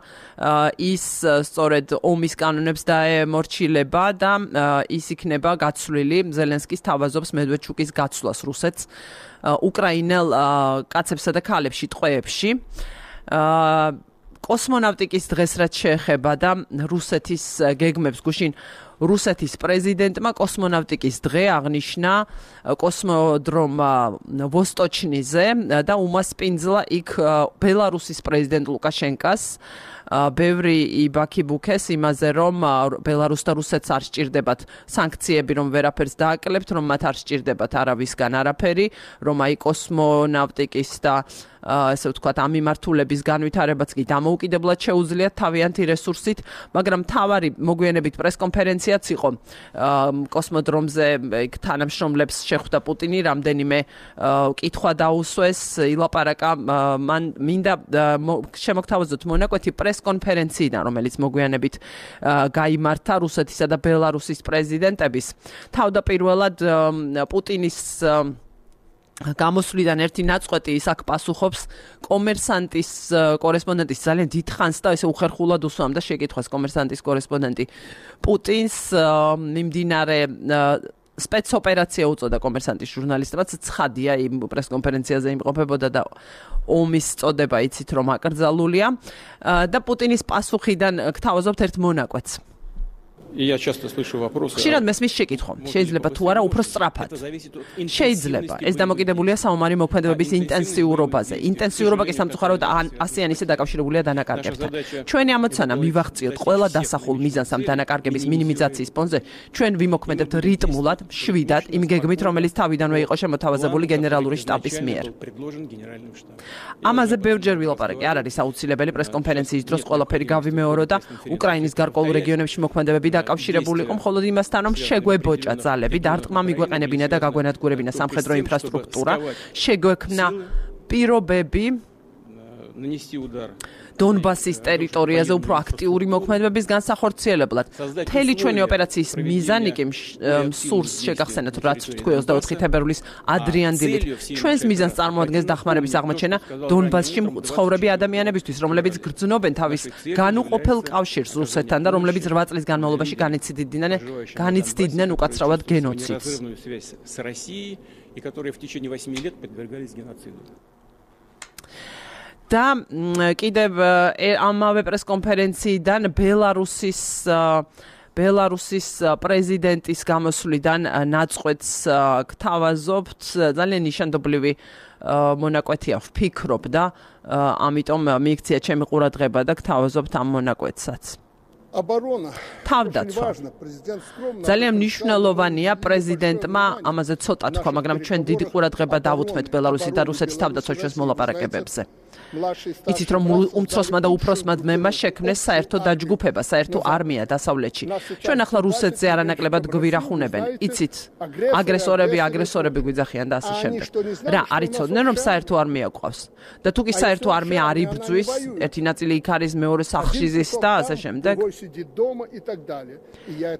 ის სწორედ ომის კანონებს დაემორჩილება და ის იქნება გაცვლილი ზელენსკის თავაზობს მედვედჩუკის გაცვლას რუსეთს უკრაინელ კაცებსა და ქალებში ტყვეებში. კოსმონავტიკის დღეს რაც შეეხება და რუსეთის გეგმებს გუშინ რუსეთის პრეზიდენტმა კოსმონავტიკის დღე აღნიშნა კოსმოდრომ ვოსტოჩნიზე და უმასპინძლა იქ ბელარუსის პრეზიდენტ ლუკაშენკას ბევრი იბაქიბუქეს იმაზე რომ ბელარუსს და რუსეთს არ სჭირდებათ სანქციები რომ ვერაფერს დააკლებთ რომ მათ არ სჭირდებათ არავისგან არაფერი რომ აი კოსმონავტიკის და ესე ვთქვათ ამ მიმართულების განვითარებაც კი დამოუკიდებლად შეუძლიათ თავიანთი რესურსით, მაგრამ თავარი მოგვიანებით პრესკონფერენციაც იყო კოსმოდრომზე იქ თანამშრომლებს შეხვდა პუტინი, რამდენიმე კითხვა დაუსვეს, ილაპარაკა მან მინდა შემოგთავაზოთ მონაკვეთი პრესკონფერენციიდან, რომელიც მოგვიანებით გაიმართა რუსეთისა და ბელარუსის პრეზიდენტების. თავდაპირველად პუტინის გამოსვლიდან ერთი ნაწყვეტი ის აქ პასუხობს კომერსანტის კორესპონდენტის ძალიან დიდხანს და ესე უხერხულად უსვამდა შეკითხვას კომერსანტის კორესპონდენტი პუტინს მიმდინარე სპეცოპერაცია უწოდა კომერსანტის ჟურნალისტებად, ცხადია იმ პრესკონფერენციაზე იმყოფებოდა და ომის წოდება იცით რომ აკრძალულია და პუტინის პასუხიდან გთავაზობთ ერთ მონაკვეთს. Я часто слышу вопросы. ხშირად მესმის შეკითხვა, შეიძლება თუ არა უფრო სწრაფად. შეიძლება. ეს დამოკიდებულია საომარი მოქმედებების ინტენსიურობაზე. ინტენსიურობა კი სამწუხაროდ ასე ან ისე დაკავშირებულია დანაკარგებთან. ჩვენი ამოცანა მივახციოთ ყველა დასახულ მიზანს ამ დანაკარგების მინიმიზაციის ფონზე. ჩვენ ვიმოქმედებთ რიტმულად, შვიდად, იმ გეგმით, რომელიც თავიდანვე იყო შემოთავაზებული გენერალური შტაბის მიერ. ამაზე ბევრჯერ ვილაპარაკე, არ არის აუცილებელი პრესკონფერენციის დროს ყველაფერი გავიმეორო და უკრაინის გარკვეულ რეგიონებში მოქმედებები დაკავშირებული იყო მხოლოდ იმასთან, რომ შეგვებოჭა ძალები, დარტყმა მიგვეყენებინა და გაგვენადგურებინა სამხედრო ინფრასტრუქტურა, შეგვექმნა პირობები დონბასის ტერიტორიაზე უფრო აქტიური მოქმედებების განსახორციელებლად. მთელი ჩვენი ოპერაციის მიზანი კი სურს შეგახსენოთ, რაც ვთქვი ოცდაოთხი თებერვლის ადრიან დილით. ჩვენს მიზანს წარმოადგენს დახმარების აღმოჩენა დონბასში მცხოვრები ადამიანებისთვის, რომლებიც გრძნობენ თავის განუყოფელ კავშირს რუსეთთან და რომლებიც რვა წლის განმავლობაში განიცდიდნენ განიცდიდნენ უკაცრავად გენოციდს. და კიდევ ამავე პრესკონფერენციიდან ბელარუსის ბელარუსის პრეზიდენტის გამოსვლიდან ნაწყვეტს გთავაზობთ, ძალიან ნიშანდობლივი მონაკვეთია ვფიქრობ და ამიტომ მიიქცია ჩემი ყურადღება და გთავაზობთ ამ მონაკვეთსაც. თავდაცვა. ძალიან მნიშვნელოვანია პრეზიდენტმა ამაზე ცოტა თქვა, მაგრამ ჩვენ დიდი ყურადღება დავუთმეთ ბელარუსის და რუსეთის თავდაცვა ჩვენს მოლაპარაკებებზე. იცით რომ უმცროსმა და უფროსმა ძმებმა შექმნეს საერთო დაჯგუფება, საერთო არმია დასავლეთში. ჩვენ ახლა რუსეთზე არანაკლებად გვირახუნებენ. იცით, აგრესორები, აგრესორები გვიძახიან და ასე შემდეგ. რა, არ იცოდნენ რომ საერთო არმია გვყავს. და თუ კი საერთო არმია არ იბრძვის, ერთი ნაწილი იქ არის, მეორე სახლში ზის და ასე შემდეგ.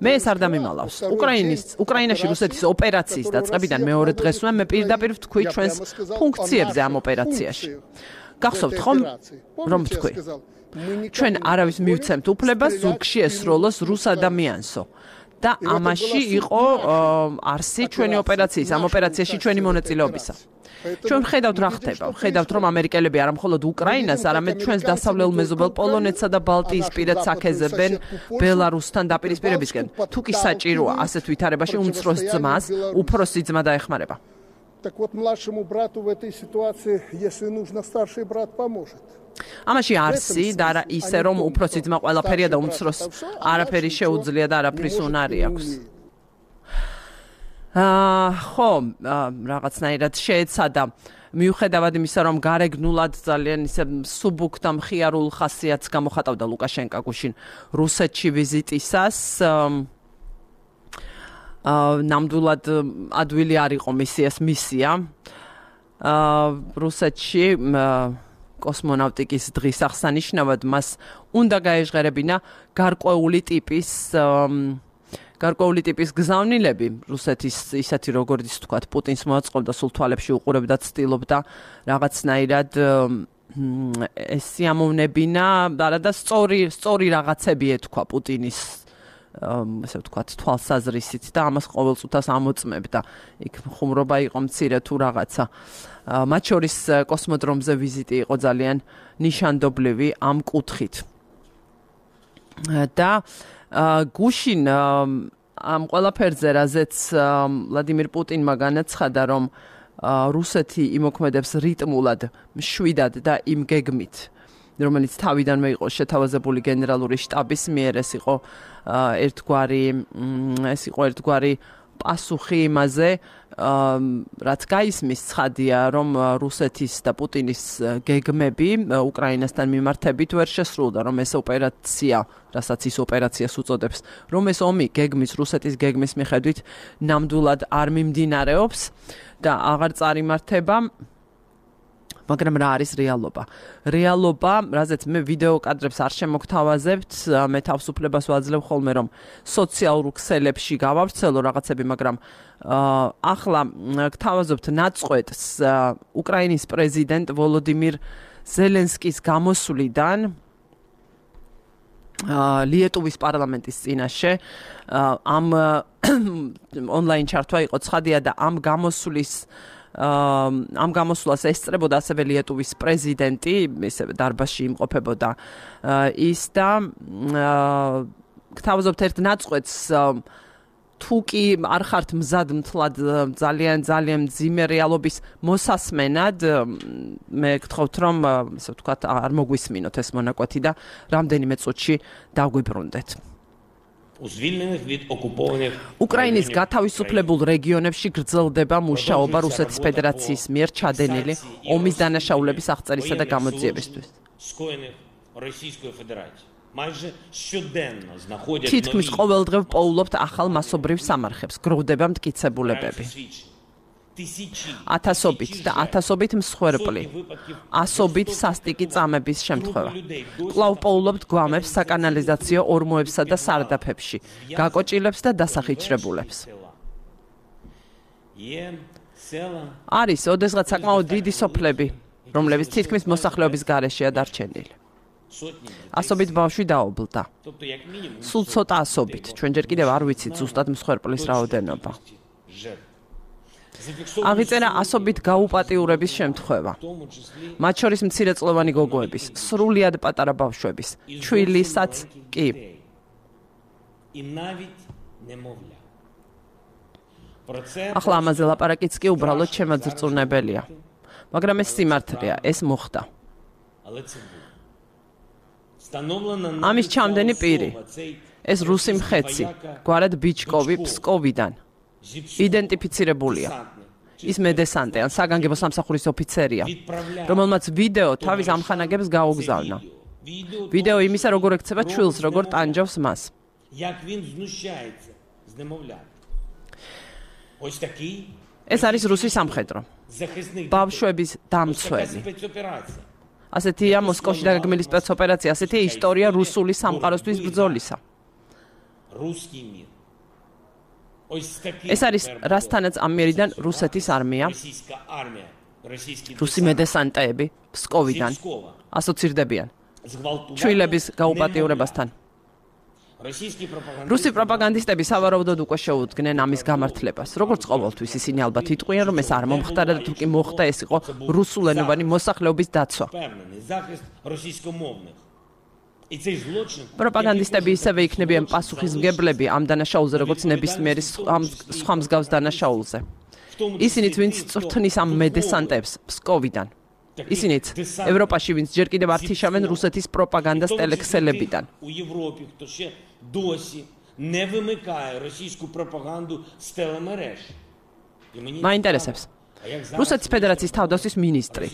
მე ეს არ დამიმალავს. უკრაინის უკრაინაში რუსეთის ოპერაციის დაწყებიდან მეორე დღესვე მე პირდაპირ ვთქვი ჩვენს ფუნქციებზე ამ ოპერაციაში. გახსოვთ ხომ რომ ვთქვი ჩვენ არავის მივცემთ უფლებას ზურგში ესროლოს რუს ადამიანსო და ამაში იყო არსი ჩვენი ოპერაციის ამ ოპერაციაში ჩვენი მონაწილეობისა. ჩვენ ხედავთ რა ხდება, ხედავთ რომ ამერიკელები არა მხოლოდ უკრაინას, არამედ ჩვენს დასავლელ მეზობელ პოლონეთსა და ბალტიისპირეთს აქეზებენ ბელარუსთან დაპირისპირებისკენ. თუ კი საჭიროა ასეთ ვითარებაში უმცროს ძმას, უფროსი ძმა დაეხმარება. Так вот, младшему брату в этой ситуации, если нужно, старший брат поможет. ამაში არსი და არა ისე რომ უფროსი ძმა ყველაფერია და უმცროს არაფერი შეუძლია და არაფრის უნარი აქვს. აა ხო, რაღაცნაირად შეეცადა მიუხედავად იმისა, რომ გარეგნულად ძალიან ისე სუბუქ და მხიარულ ხასიათს გამოხატავდა ლუკაშენკა გუშინ რუსეთში ვიზიტისას. ნამდვილად ადვილი არ იყო მისიას მისია. რუსეთში კოსმონავტიკის დღის აღსანიშნავად მას უნდა გაეჟღერებინა გარკვეული ტიპის გარკვეული ტიპის გზავნილები. რუსეთის ისეთი როგორც თქვათ პუტინს მოაწყობდა სულ თვალებში უყურებდა, ცდილობდა რაღაცნაირად ეს სიამოვნებინა, არა და სწორი სწორი რაღაცები ეთქვა პუტინის ასე ვთქვათ თვალსაზრისით და ამას ყოველწუთას ამოწმებდა. იქ ხუმრობა იყო მცირე თუ რაღაცა. მათ შორის კოსმოდრომზე ვიზიტი იყო ძალიან ნიშანდობლივი ამ კუთხით. და გუშინ ამ ყველაფერზე რაზეც ვლადიმირ პუტინმა განაცხადა, რომ რუსეთი იმოქმედებს რიტმულად, მშვიდად და იმ გეგმით, რომელიც თავიდანვე იყო შეთავაზებული გენერალური შტაბის მიერ, ეს იყო ერთგვარი ეს იყო ერთგვარი პასუხი იმაზე, რაც გაისმის ცხადია, რომ რუსეთის და პუტინის გეგმები უკრაინასთან მიმართებით ვერ შესრულდა, რომ ეს ოპერაცია, რასაც ის ოპერაციას უწოდებს, რომ ეს ომი გეგმის რუსეთის გეგმის მიხედვით ნამდვილად არ მიმდინარეობს და აღარ წარიმართება. მაგრამ რა არის რეალობა? რეალობა, რაზეც მე ვიდეო კადრებს არ შემოგთავაზებთ, მე თავისუფლებას ვაძლევ ხოლმე, რომ სოციალურ ქსელებში გავავრცელო რაღაცები, მაგრამ ახლა გთავაზობთ ნაწყვეტს უკრაინის პრეზიდენტ ვოლოდიმირ ზელენსკის გამოსვლიდან ლიეტუვის პარლამენტის წინაშე ამ ონლაინ ჩართვა იყო ცხადია და ამ გამოსვლის ამ გამოსვლას ესწრებოდა ასევე ლიეტუვის პრეზიდენტი, ისე დარბაზში იმყოფებოდა ის და გთავაზობთ ერთ ნაწყვეტს თუ კი არ ხართ მზად მთლად ძალიან ძალიან მძიმე რეალობის მოსასმენად მე გთხოვთ რომ ასე ვთქვათ არ მოგვისმინოთ ეს მონაკვეთი და რამდენიმე წუთში დაგვიბრუნდეთ. უკრაინის გათავისუფლებულ რეგიონებში გრძელდება მუშაობა რუსეთის ფედერაციის მიერ ჩადენილი ომის დანაშაულების აღწერისა და გამოძიებისთვის. თითქმის ყოველდღე პოულობთ ახალ მასობრივ სამარხებს, გროვდება მტკიცებულებები. ათასობით და ათასობით მსხვერპლი, ასობით სასტიკი წამების შემთხვევა. კვლავ პოულობთ გვამებს საკანალიზაციო ორმოებსა და სარდაფებში, გაკოჭილებს და დასახიჩრებულებს. არის ოდესღაც საკმაოდ დიდი სოფლები, რომლებიც თითქმის მოსახლეობის გარეშეა დარჩენილი. ასობით ბავშვი დაობლდა. სულ ცოტა ასობით, ჩვენ ჯერ კიდევ არ ვიცით ზუსტად მსხვერპლის რაოდენობა. აღიწერა ასობით გაუპატიურების შემთხვევა. მათ შორის მცირეწლოვანი გოგოების, სრულიად პატარა ბავშვების, ჩვილისაც კი. ახლა ამაზე ლაპარაკიც კი უბრალოდ შემაძრწუნებელია. მაგრამ ეს სიმართლეა, ეს მოხდა. ამის ჩამდენი პირი, ეს რუსი მხეცი, გვარად ბიჩკოვი ფსკოვიდან, იდენტიფიცირებულია. ის მედესანტე ან საგანგებო სამსახურის ოფიცერია, რომელმაც ვიდეო თავის ამხანაგებს გაუგზავნა. ვიდეო იმისა, როგორ ექცევა ჩვილს, როგორ ტანჯავს მას. ეს არის რუსი სამხედრო. ბავშვების დამცველი. ასეთია მოსკოვში დაგეგმილი სპეცოპერაცია, ასეთია ისტორია რუსული სამყაროსთვის ბრძოლისა. ეს არის რასთანაც ამ მიერიდან რუსეთის არმია, რუსი მედესანტეები ფსკოვიდან ასოცირდებიან ჩვილების გაუპატიურებასთან. რუსი პროპაგანდისტები სავარაუდოდ უკვე შეუდგნენ ამის გამართლებას. როგორც ყოველთვის ისინი ალბათ იტყვიან, რომ ეს არ მომხდარა და თუ კი მოხდა, ეს იყო რუსულენოვანი მოსახლეობის დაცვა. პროპაგანდისტები ისევე იქნებიან პასუხისმგებლები ამ დანაშაულზე, როგორც ნებისმიერი სხვა მსგავს დანაშაულზე. ისინიც, ვინც წვრთნის ამ მედესანტებს ფსკოვიდან. ისინიც ევროპაში, ვინც ჯერ კიდევ არ თიშავენ რუსეთის პროპაგანდას ტელექსელებიდან. მაინტერესებს რუსეთის ფედერაციის თავდაცვის მინისტრი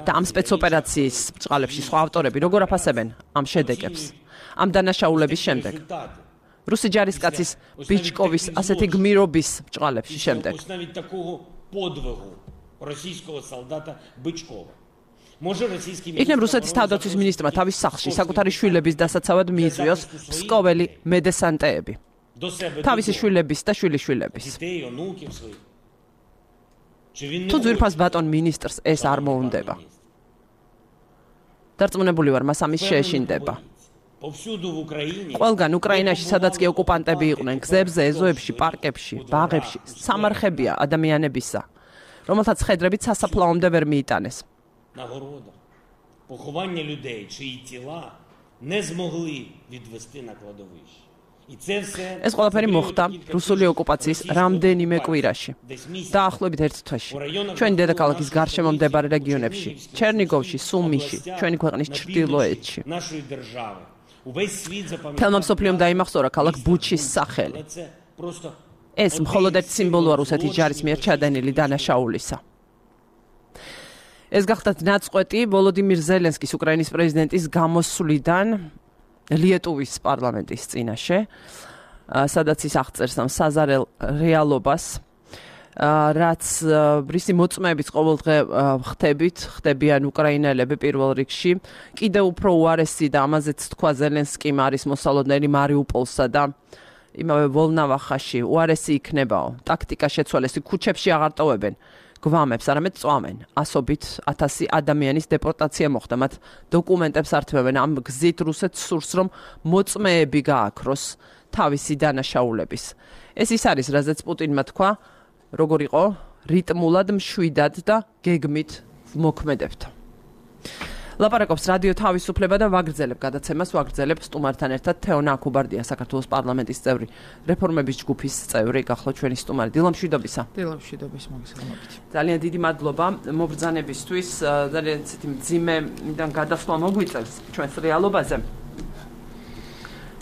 და ამ სპეცოპერაციის ბჭყალებში სხვა ავტორები როგორ აფასებენ ამ შედეგებს, ამ დანაშაულების შემდეგ. რუსი ჯარისკაცის ბიჩკოვის ასეთი გმირობის ბჭყალებში შემდეგ. იქნებ რუსეთის თავდაცვის მინისტრმა თავის სახლში საკუთარი შვილების დასაცავად მიიწვიოს ფსკოველი მედესანტეები. თავისი შვილების და შვილიშვილების. თუ ძვირფას ბატონ მინისტრს ეს არ მოუნდება. დარწმუნებული ვარ, მას ამის შეეშინდება. ყველგან უკრაინაში, სადაც კი ოკუპანტები იყვნენ, გზებზე, ეზოებში, პარკებში, ბაღებში, სამარხებია ადამიანებისა, რომელთაც ხედრებით სასაფლაომდე ვერ მიიტანეს. ეს ყველაფერი მოხდა რუსული ოკუპაციის რამდენიმე კვირაში. დაახლოებით ერთ თვეში. ჩვენი დედაქალაქის გარშემო მდებარე რეგიონებში, ჩერნიგოვში, სუმიში, ჩვენი ქვეყნის ჩრდილოეთში. თელმა მსოფლიომ დაიმახსოვრა ქალაქ ბუჩის სახელი. ეს მხოლოდ ერთ სიმბოლოა რუსეთის ჯარის მიერ ჩადენილი დანაშაულისა. ეს გახდათ ნაწყვეტი ვოლოდიმირ ზელენსკის, უკრაინის პრეზიდენტის გამოსვლიდან ლიეტუვის პარლამენტის წინაშე, სადაც ის აღწერს ამ საზარელ რეალობას, რაც რისი მოწმეებით ყოველდღე ხდებით, ხდებიან უკრაინელები პირველ რიგში. კიდევ უფრო უარესი და ამაზეც თქვა ზელენსკიმ არის მოსალოდნელი მარიუპოლსა და იმავე ვოლნავახაში უარესი იქნებაო. ტაქტიკა შეცვალეს, ქუჩებში აღარ ტოვებენ. გვამებს, არამედ წვამენ. ასობით ათასი ადამიანის დეპორტაცია მოხდა. მათ დოკუმენტებს ართმევენ ამ გზით რუსეთს სურს, რომ მოწმეები გააქროს თავისი დანაშაულების. ეს ის არის, რაზეც პუტინმა თქვა, როგორ იყო რიტმულად, მშვიდად და გეგმით მოქმედებდა. ლაპარაკობს რადიო თავისუფლება და ვაგრძელებ გადაცემას, ვაგრძელებ სტუმართან ერთად თეონა აქუბარდია, საქართველოს პარლამენტის წევრი, რეფორმების ჯგუფის წევრი, გახლავთ ჩვენი სტუმარი. დილა მშვიდობისა. დილა მშვიდობის, მოგესალმებით. ძალიან დიდი მადლობა მობრძანებისთვის, ძალიან ცეთი მძიმედან გადასვლა მოგვიწევს ჩვენს რეალობაზე.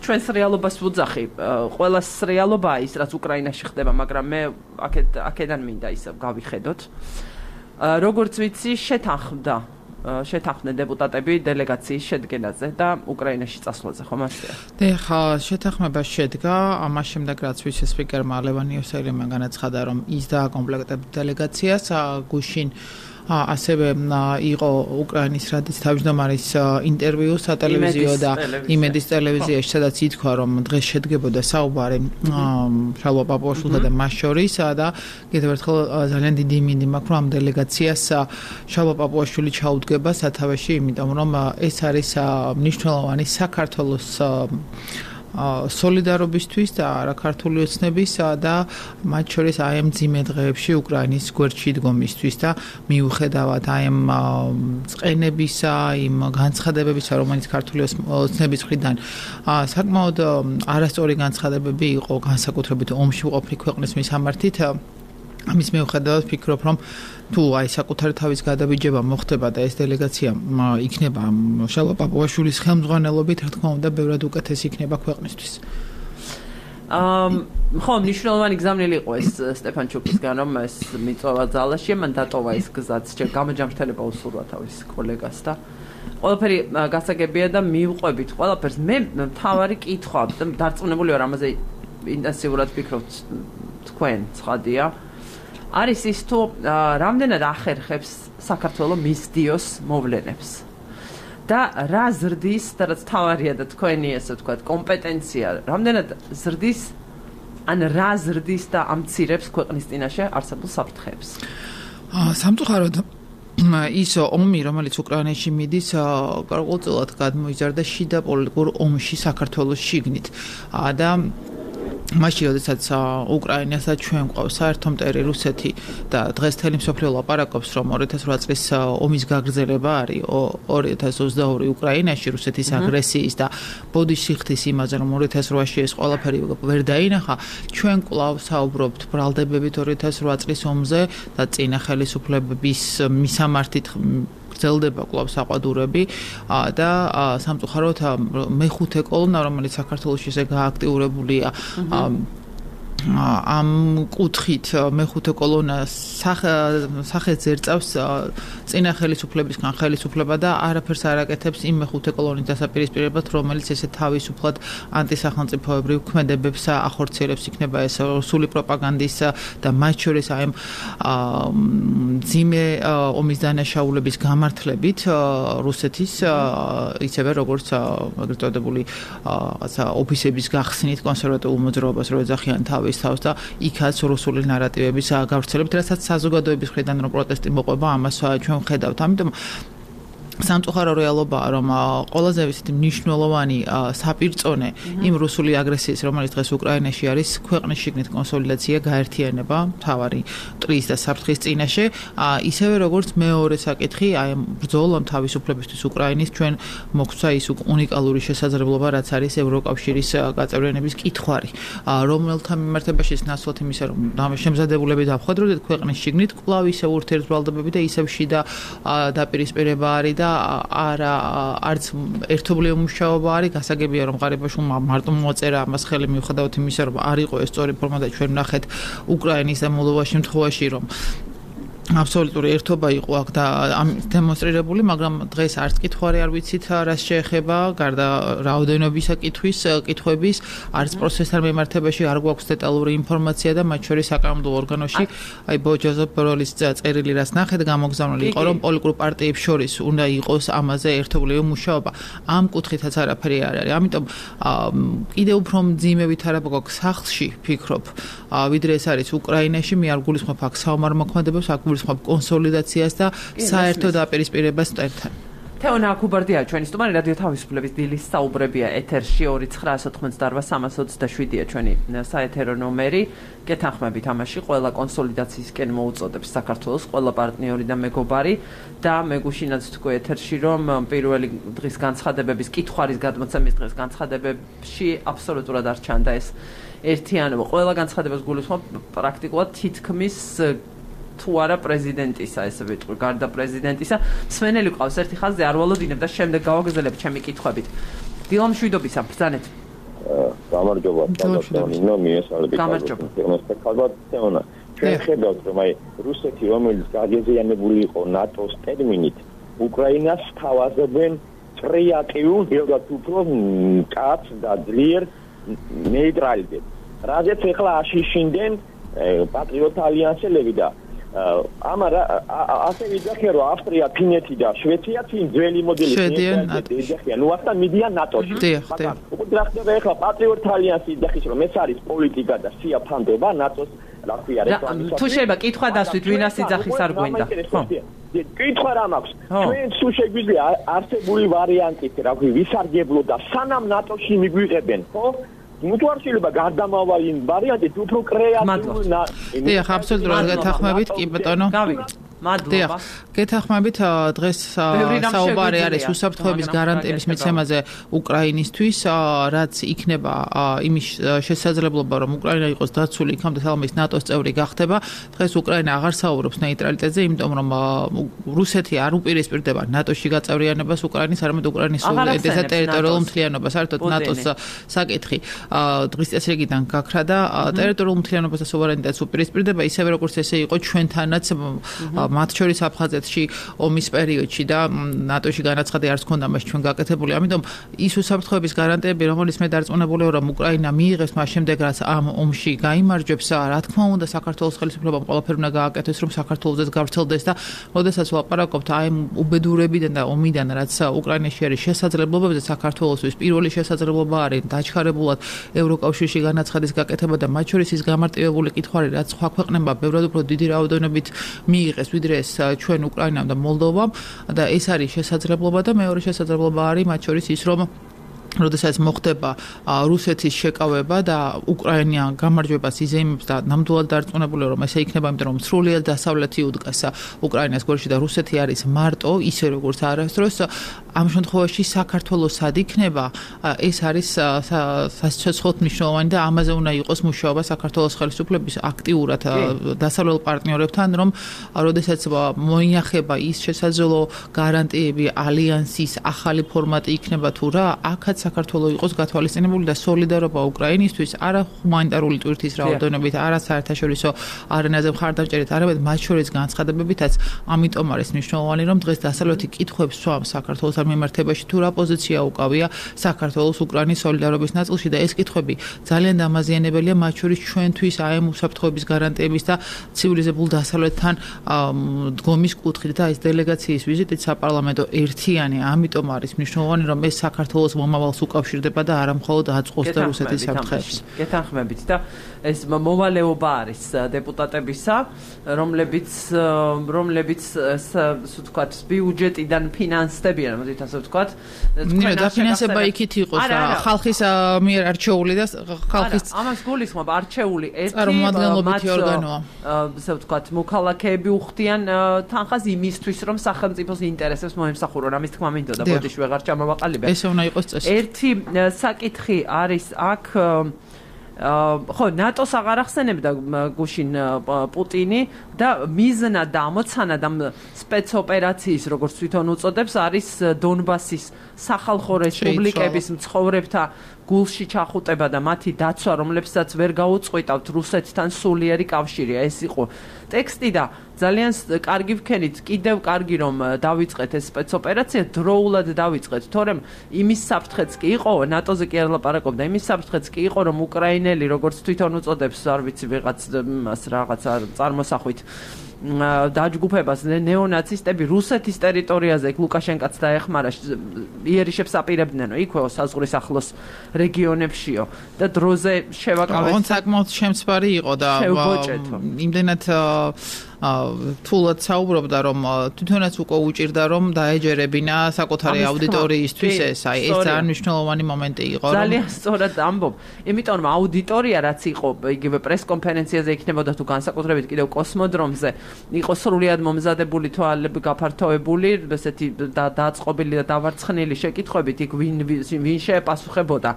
ჩვენს რეალობას ვუძახი, ყველას რეალობაა ის, რაც უკრაინაში ხდება, მაგრამ მე აქედან მინდა ისე გავიხედოთ. როგორც ვიცი, შეთანხმდა შეთანხმდნენ დეპუტატები დელეგაციის შედგენაზე და უკრაინაში წასვლაზე, ხომ ასეა? ხა, შეთანხმება შედგა, ამას შემდეგ რაც ვიცე-სპიკერმა ლევან იოსელიმმა განაცხადა, რომ ის დააკომპლექტებდა დელეგაციას, გუშინ ასევე იყო უკრაინის რადის თავმჯდომარის ინტერვიუ სატელევიზიო და იმედის ტელევიზიაში, სადაც ითქვა, რომ დღეს შედგებოდა საუბარი შალვა პაპუაშვილსა და მას შორის და კიდევ ერთხელ ძალიან დიდი იმინდი მაქვს, რომ ამ დელეგაციას შალვა პაპუაშვილი ჩაუდგება სათავეში, იმიტომ რომ ეს არის მნიშვნელოვანი საქართველოს სოლიდარობისთვის და არა ქართული ოცნების და მათ შორის აი ამ ძიმე დღეებში უკრაინის გვერდში დგომისთვის და მიუხედავად აი ამ წყენებისა, იმ განცხადებებისა, რომელიც ქართული ოცნების მხრიდან საკმაოდ არასწორი განცხადებები იყო, განსაკუთრებით ომში მყოფი ქვეყნის მისამართით, ამის მიუხედავად ვფიქრობ, რომ თუ აი საკუთარი თავის გადაბიჯება მოხდება და ეს დელეგაცია იქნება შალვა პაპუაშვილის ხელმძღვანელობით, რა თქმა უნდა, ბევრად უკეთესი იქნება ქვეყნისთვის. ამ ხო, მნიშვნელოვანი გზავნილი იყო ეს სტეფან ჩუკისგან, რომ ეს მიწვევა ძალაში, მან დატოვა ეს გზაც, ჯერ გამოჯამრთელება უსურვა თავის კოლეგას და ყველაფერი გასაგებია და მივყვებით ყველაფერს. მე მთავარი კითხვა და დარწმუნებული ვარ ამაზე ინტენსიურად ვფიქრობთ თქვენ, ცხადია. არის ის თუ რამდენად ახერხებს საქართველოს მისდიოს მოვლენებს და რა ზრდის და რაც თავარია და თქვენი ესე ვთქვათ კომპეტენცია რამდენად ზრდის ან რა ზრდის და ამცირებს ქვეყნის წინაშე არსებულ საფრთხეებს. სამწუხაროდ ის ომი, რომელიც უკრაინაში მიდის, გარკვეულწილად გადმოიზარდა შიდა პოლიტიკურ ომში საქართველოს შიგნით და მაშინ, როდესაც უკრაინასაც ჩვენ გვყავს საერთო მტერი რუსეთი და დღეს თელი მსოფლიო ლაპარაკობს, რომ ორი ათას ოთხ წლის ომის გაგრძელება არის ორი ათას ოცდაორი უკრაინაში რუსეთის აგრესიის და ბოდიშიხთის იმაზე, რომ ორი ათას ოთხში ეს ყველაფერი ვერ დაინახა, ჩვენ კვლავ საუბრობთ ბრალდებებით ორი ათას ოთხ წლის ომზე და წინა ხელისუფლებების მისამართით გრძელდება კვლავ საყვადურები და სამწუხაროდ მეხუთე კოლონა, რომელიც საქართველოში ესე გააქტიურებულია ამ კუთხით მეხუთე კოლონა სახეს ზერწავს წინა ხელისუფლებისგან ხელისუფლება და არაფერს არ აკეთებს იმ მეხუთე კოლონის დასაპირისპირებლად, რომელიც ესე თავისუფლად ანტისახელმწიფოებრივ ქმედებებს ახორციელებს, იქნება ეს რუსული პროპაგანდის და მათ შორის აი ამ ძიმე ომის დანაშაულების გამართლებით რუსეთის ისევე როგორც ეგრეთ წოდებული რაღაცა ოფისების გახსნით კონსერვატიულ მოძრაობას რო ეძახიან თავის თავს და იქაც რუსული ნარატივების გავრცელებით, რასაც საზოგადოების მხრიდან რომ პროტესტი მოყვება, ამას ჩვენ ვხედავთ. ამიტომ სამწუხარო რეალობაა, რომ ყველაზე ისეთი მნიშვნელოვანი საპირწონე იმ რუსული აგრესიის, რომელიც დღეს უკრაინაში არის, ქვეყნის შიგნით კონსოლიდაცია, გაერთიანება, მთავარი მტრის და საფრთხის წინაშე, ისევე როგორც მეორე საკითხი, აი ამ ბრძოლამ თავისუფლებისთვის უკრაინის ჩვენ მოგვცა ის უნიკალური შესაძლებლობა, რაც არის ევროკავშირის გაწევრიანების კითხვარი, რომელთა მიმართებაში ნაცვლად იმისა, რომ შემზადებულები დავხვედროთ ქვეყნის შიგნით, კვლავ ისე ურთიერთბრალდებები და ისევ შიდა დაპირისპირება არის და არა არც ერთობლივი მუშაობა არის, გასაგებია რომ ღარიბაშვილმა მარტო მოწერა ამას ხელი მიუხედავად იმისა, რომ არ იყო ეს სწორი ფორმა და ჩვენ ვნახეთ უკრაინის და მოლდოვას შემთხვევაში, რომ აბსოლუტური ერთობა იყო აქ და დემონსტრირებული, მაგრამ დღეს არც კითხვარი არ ვიცით, რას შეეხება, გარდა რაოდენობისა კითხვის, კითხვების, არც პროცესთან მიმართებაში არ გვაქვს დეტალური ინფორმაცია და მათ შორის საკანონმდებლო ორგანოში, აი ბოჯოზეფ ბოროლის წერილი რაც ნახეთ, გამოგზავნილი იყო, რომ პოლიტიკურ პარტიებს შორის უნდა იყოს ამაზე ერთობლივი მუშაობა. ამ კუთხითაც არაფერი არ არის. ამიტომ კიდევ უფრო მძიმე ვითარება გვაქვს სახლში, ფიქრობ, ვიდრე ეს არის უკრაინაში, მე არ გულისხმობ აქ საომარ მოქმედებებს, აქ გულისხმობ კონსოლიდაციას და საერთო დაპირისპირებას მტერთან. თეონა კუბარდია ჩვენი სტუმარი რადიო თავისუფლების დილის საუბრებია ეთერში ორი ცხრა ათოთხმოცდაოთხ სამას ოცდაშვიდია ჩვენი საეთერო ნომერი. გეთანხმებით ამაში ყველა კონსოლიდაციისკენ მოუწოდებს საქართველოს ყველა პარტნიორი და მეგობარი და მეგუშინაც თქვი ეთერში რომ პირველი დღის განცხადებების კითხვარის გადმოცემის დღეს განცხადებებში აბსოლუტურად არ ჩანდა ეს ერთიანობა. ყველა განცხადებას გულისხმობ პრაქტიკულად თითქმის თუ არა პრეზიდენტისა, ესე ვიტყვი, გარდა პრეზიდენტისა, მსმენელი ყავს ერთი ხაზზე არ ვალოდინებ და შემდეგ გავაგრძელებ ჩემი კითხვებით. დილა მშვიდობისა, ბრძანეთ. გამარჯობა, თამაშონინო, მიესალმებით. გამარჯობა. ალბათ თეონა. ჩვენ ხედავთ, რომ აი რუსეთი, რომელიც გაგეზიანებული იყო ნატოს ტერმინით, უკრაინას თავაზობენ კრეატიულ, ბევრად უფრო კაც და ძლიერ ნეიტრალიტეტ. რაზეც ახლა აშიშინდნენ პატრიოტ ალიანსელები და ამარა ასე ვიძახე რომ ავსტრია, ფინეთი და შვეიცარია წინ ძველი მოდელი ეძახიან, ნუ ახლა მიდიან ნატოში. მაგრამ უკვე რა ხდება ახლა პატრიოტ ალიანსი იძახის რომ ეს არის პოლიტიკა და სია ფანდება ნატოს რა ქვია რეკლამის. თუ შეიძლება კითხვა დასვით, ვინას იძახის არ გვინდა. ხო. კითხვა რა მაქვს? ჩვენ თუ შეგვიძლია არსებული ვარიანტით, რა ქვია, ვისარგებლო და სანამ ნატოში მიგვიღებენ, ხო? მუთვარშილება გარდამავალი ვარიანტი უფრო კრეატიული. დიახ, აბსოლუტურად გეთანხმებით, კი ბატონო. გავიგეთ. მადლობა. გეთანხმებით, დღეს საუბარი არის უსაფრთხოების გარანტიების მიცემაზე უკრაინისთვის, რაც იქნება იმის შესაძლებლობა, რომ უკრაინა იყოს დაცული იქამდე თალმის ნატოს წევრი გახდება. დღეს უკრაინა აღარ საუბრობს ნეიტრალიტეტზე, იმიტომ რომ რუსეთი არ უპირისპირდება ნატოში გაწევრიანებას უკრაინის, არამედ უკრაინის სუვერენიტეტს და ტერიტორიულ მთლიანობას. საერთოდ ნატოს საკითხი დღის წესრიგიდან გაქრა და ტერიტორიულ მთლიანობას და სუვერენიტეტს უპირისპირდება, ისევე როგორც ესე იყო ჩვენთანაც მათ შორის აფხაზეთში ომის პერიოდში და ნატოში განაცხადი არც ქონდა მას ჩვენ გაკეთებული. ამიტომ ის უსაფრთხოების გარანტიები, რომელიც მე დარწმუნებული ვარ, რომ უკრაინა მიიღებს მას შემდეგ, რაც ამ ომში გაიმარჯვებს, რა თქმა უნდა, საქართველოს ხელისუფლებამ ყველაფერი უნდა გააკეთოს, რომ საქართველოსაც გავრცელდეს და როდესაც ვლაპარაკობთ აი უბედურებიდან და ომიდან, რაც უკრაინაში არის შესაძლებლობებზე, საქართველოსთვის პირველი შესაძლებლობა არის დაჩქარებულად ევროკავშირში განაცხადის გაკეთება და მათ შორის ის გამარტივებული კითხვარი, რაც სხვა ქვეყნებმა ბევრად უფრო დიდი რაოდენობით მიიღეს ვიდრე ეს ჩვენ უკრაინამ და მოლდოვამ და ეს არის შესაძლებლობა და მეორე შესაძლებლობა არის მათ შორის ის რომ როდესაც მოხდება რუსეთის შეკავება და უკრაინა გამარჯვებას იზეიმებს და ნამდვილად დარწმუნებული რომ ესე იქნება, იმიტომ რომ სრულიად დასავლეთი უდგას უკრაინას გვერდში და რუსეთი არის მარტო, ისე როგორც არასდროს. ამ შემთხვევაში საქართველოს სად იქნება, ეს არის სასიცოცხლოდ მნიშვნელოვანი და ამაზე უნდა იყოს მუშაობა საქართველოს ხელისუფლების აქტიურად დასავლელ პარტნიორებთან, რომ როდესაც მოინახება ის შესაძლო გარანტიები ალიანსის ახალი ფორმატი იქნება თუ რა, აქაც საქართველოს იყოს გათვალისწინებული და სოლიდარობა უკრაინისთვის არა ჰუმანიტარული ტვირთის რაოდენობით, არა საერთაშორისო არენაზე მხარდამჭერით, არამედ მათ შორის განცხადებებითაც. ამიტომ არის მნიშვნელოვანი, რომ დღეს დასავლეთი კითხვებს სვამს საქართველოს მიმართებაში თუ რა პოზიცია უკავია საქართველოს უკრაინის სოლიდარობის ნაწილში და ეს კითხვები ძალიან დამაზიანებელია მათ შორის ჩვენთვის აი ამ უსაფრთხოების გარანტიების და ცივილიზებულ დასავლეთთან დგომის კუთხით და ეს დელეგაციის ვიზიტით საპარლამენტო ერთიანი, ამიტომ არის მნიშვნელოვანი, რომ ეს საქართველოს მომავალს უკავშირდება და არა მხოლოდ აწყობს და რუსეთის საფრთხეებს. გეთანხმებით და ეს მოვალეობა არის დეპუტატებისა, რომლებიც რომლებიც ასე ვთქვათ, ბიუჯეტიდან ფინანსდებიან, მოდით ასე ვთქვათ. ნუ დაფინანსება იქით იყოს და ხალხის მიერ არჩეული და ხალხის ამას გულისხმობ არჩეული ერთი წარმომადგენლობითი ორგანოა. ასე ვთქვათ, მოქალაქეები უხდიან თანხას იმისთვის, რომ სახელმწიფოს ინტერესებს მოემსახურონ. ამის თქმა მინდოდა, ბოდიში ვეღარ ჩამოვაყალიბე. ესე უნდა იყოს წესი. ერთი საკითხი არის აქ ხო, ნატოს აღარ ახსენებდა გუშინ პუტინი და მიზნა და ამოცანა და სპეცოპერაციის, როგორც თვითონ უწოდებს, არის დონბასის სახალხო რესპუბლიკების მცხოვრებთა გულში ჩახუტება და მათი დაცვა, რომლებსაც ვერ გაუწყვეტავთ რუსეთთან სულიერი კავშირია. ეს იყო ტექსტი და ძალიან კარგი ვქენით, კიდევ კარგი რომ დავიწყეთ ეს სპეცოპერაცია, დროულად დავიწყეთ, თორემ იმის საფრთხეც კი იყო, ნატოზე კი არ ლაპარაკობდა, იმის საფრთხეც კი იყო, რომ უკრაინელი, როგორც თვითონ უწოდებს, არ ვიცი, ვიღაც მას რაღაც წარმოსახვით დაჯგუფებას ნეონაცისტები რუსეთის ტერიტორიაზე ლუკაშენკაც დაეხმარა იერიშებს აპირებდნენ იქვეო საზღვრის ახლოს რეგიონებშიო და დროზე შევაკავეს. ოღონდ საკმაოდ შემცვარი იყო და იმდენად თულად საუბრობდა რომ თვითონაც უკვე უჭირდა რომ დაეჯერებინა საკუთარი აუდიტორიისთვის ეს აი ეს ძალიან მნიშვნელოვანი მომენტი იყო რომ ძალიან სწორად ამბობ იმიტომ რომ აუდიტორია რაც იყო იგივე პრესკონფერენციაზე იქნებოდა თუ განსაკუთრებით კიდევ კოსმოდრომზე იყო სრულიად მომზადებული თვალები გაფართოებული ესეთი დაწყობილი და დავარცხნილი შეკითხვებით იქ ვინ ვინ შეეპასუხებოდა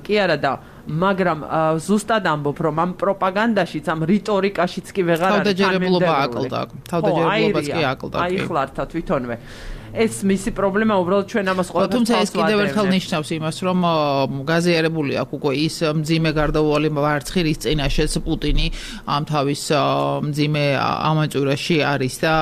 კი არა და მაგრამ ზუსტად ამბობ რომ ამ პროპაგანდაშიც ამ რიტორიკაშიც კი ვეღარ არის თავდაჯერებულობა აკლდა თავდაჯერებულობაც კი აკლდა აი ხლართა თვითონვე ეს მისი პრობლემა უბრალოდ ჩვენ ამას ყოველთვის თუმცა ეს კიდევ ერთხელ ნიშნავს იმას რომ გაზიარებული აქვს უკვე ის მძიმე გარდაუვალი ვარცხი რის წინაშეც პუტინი ამ თავის მძიმე ამაჭურაში არის და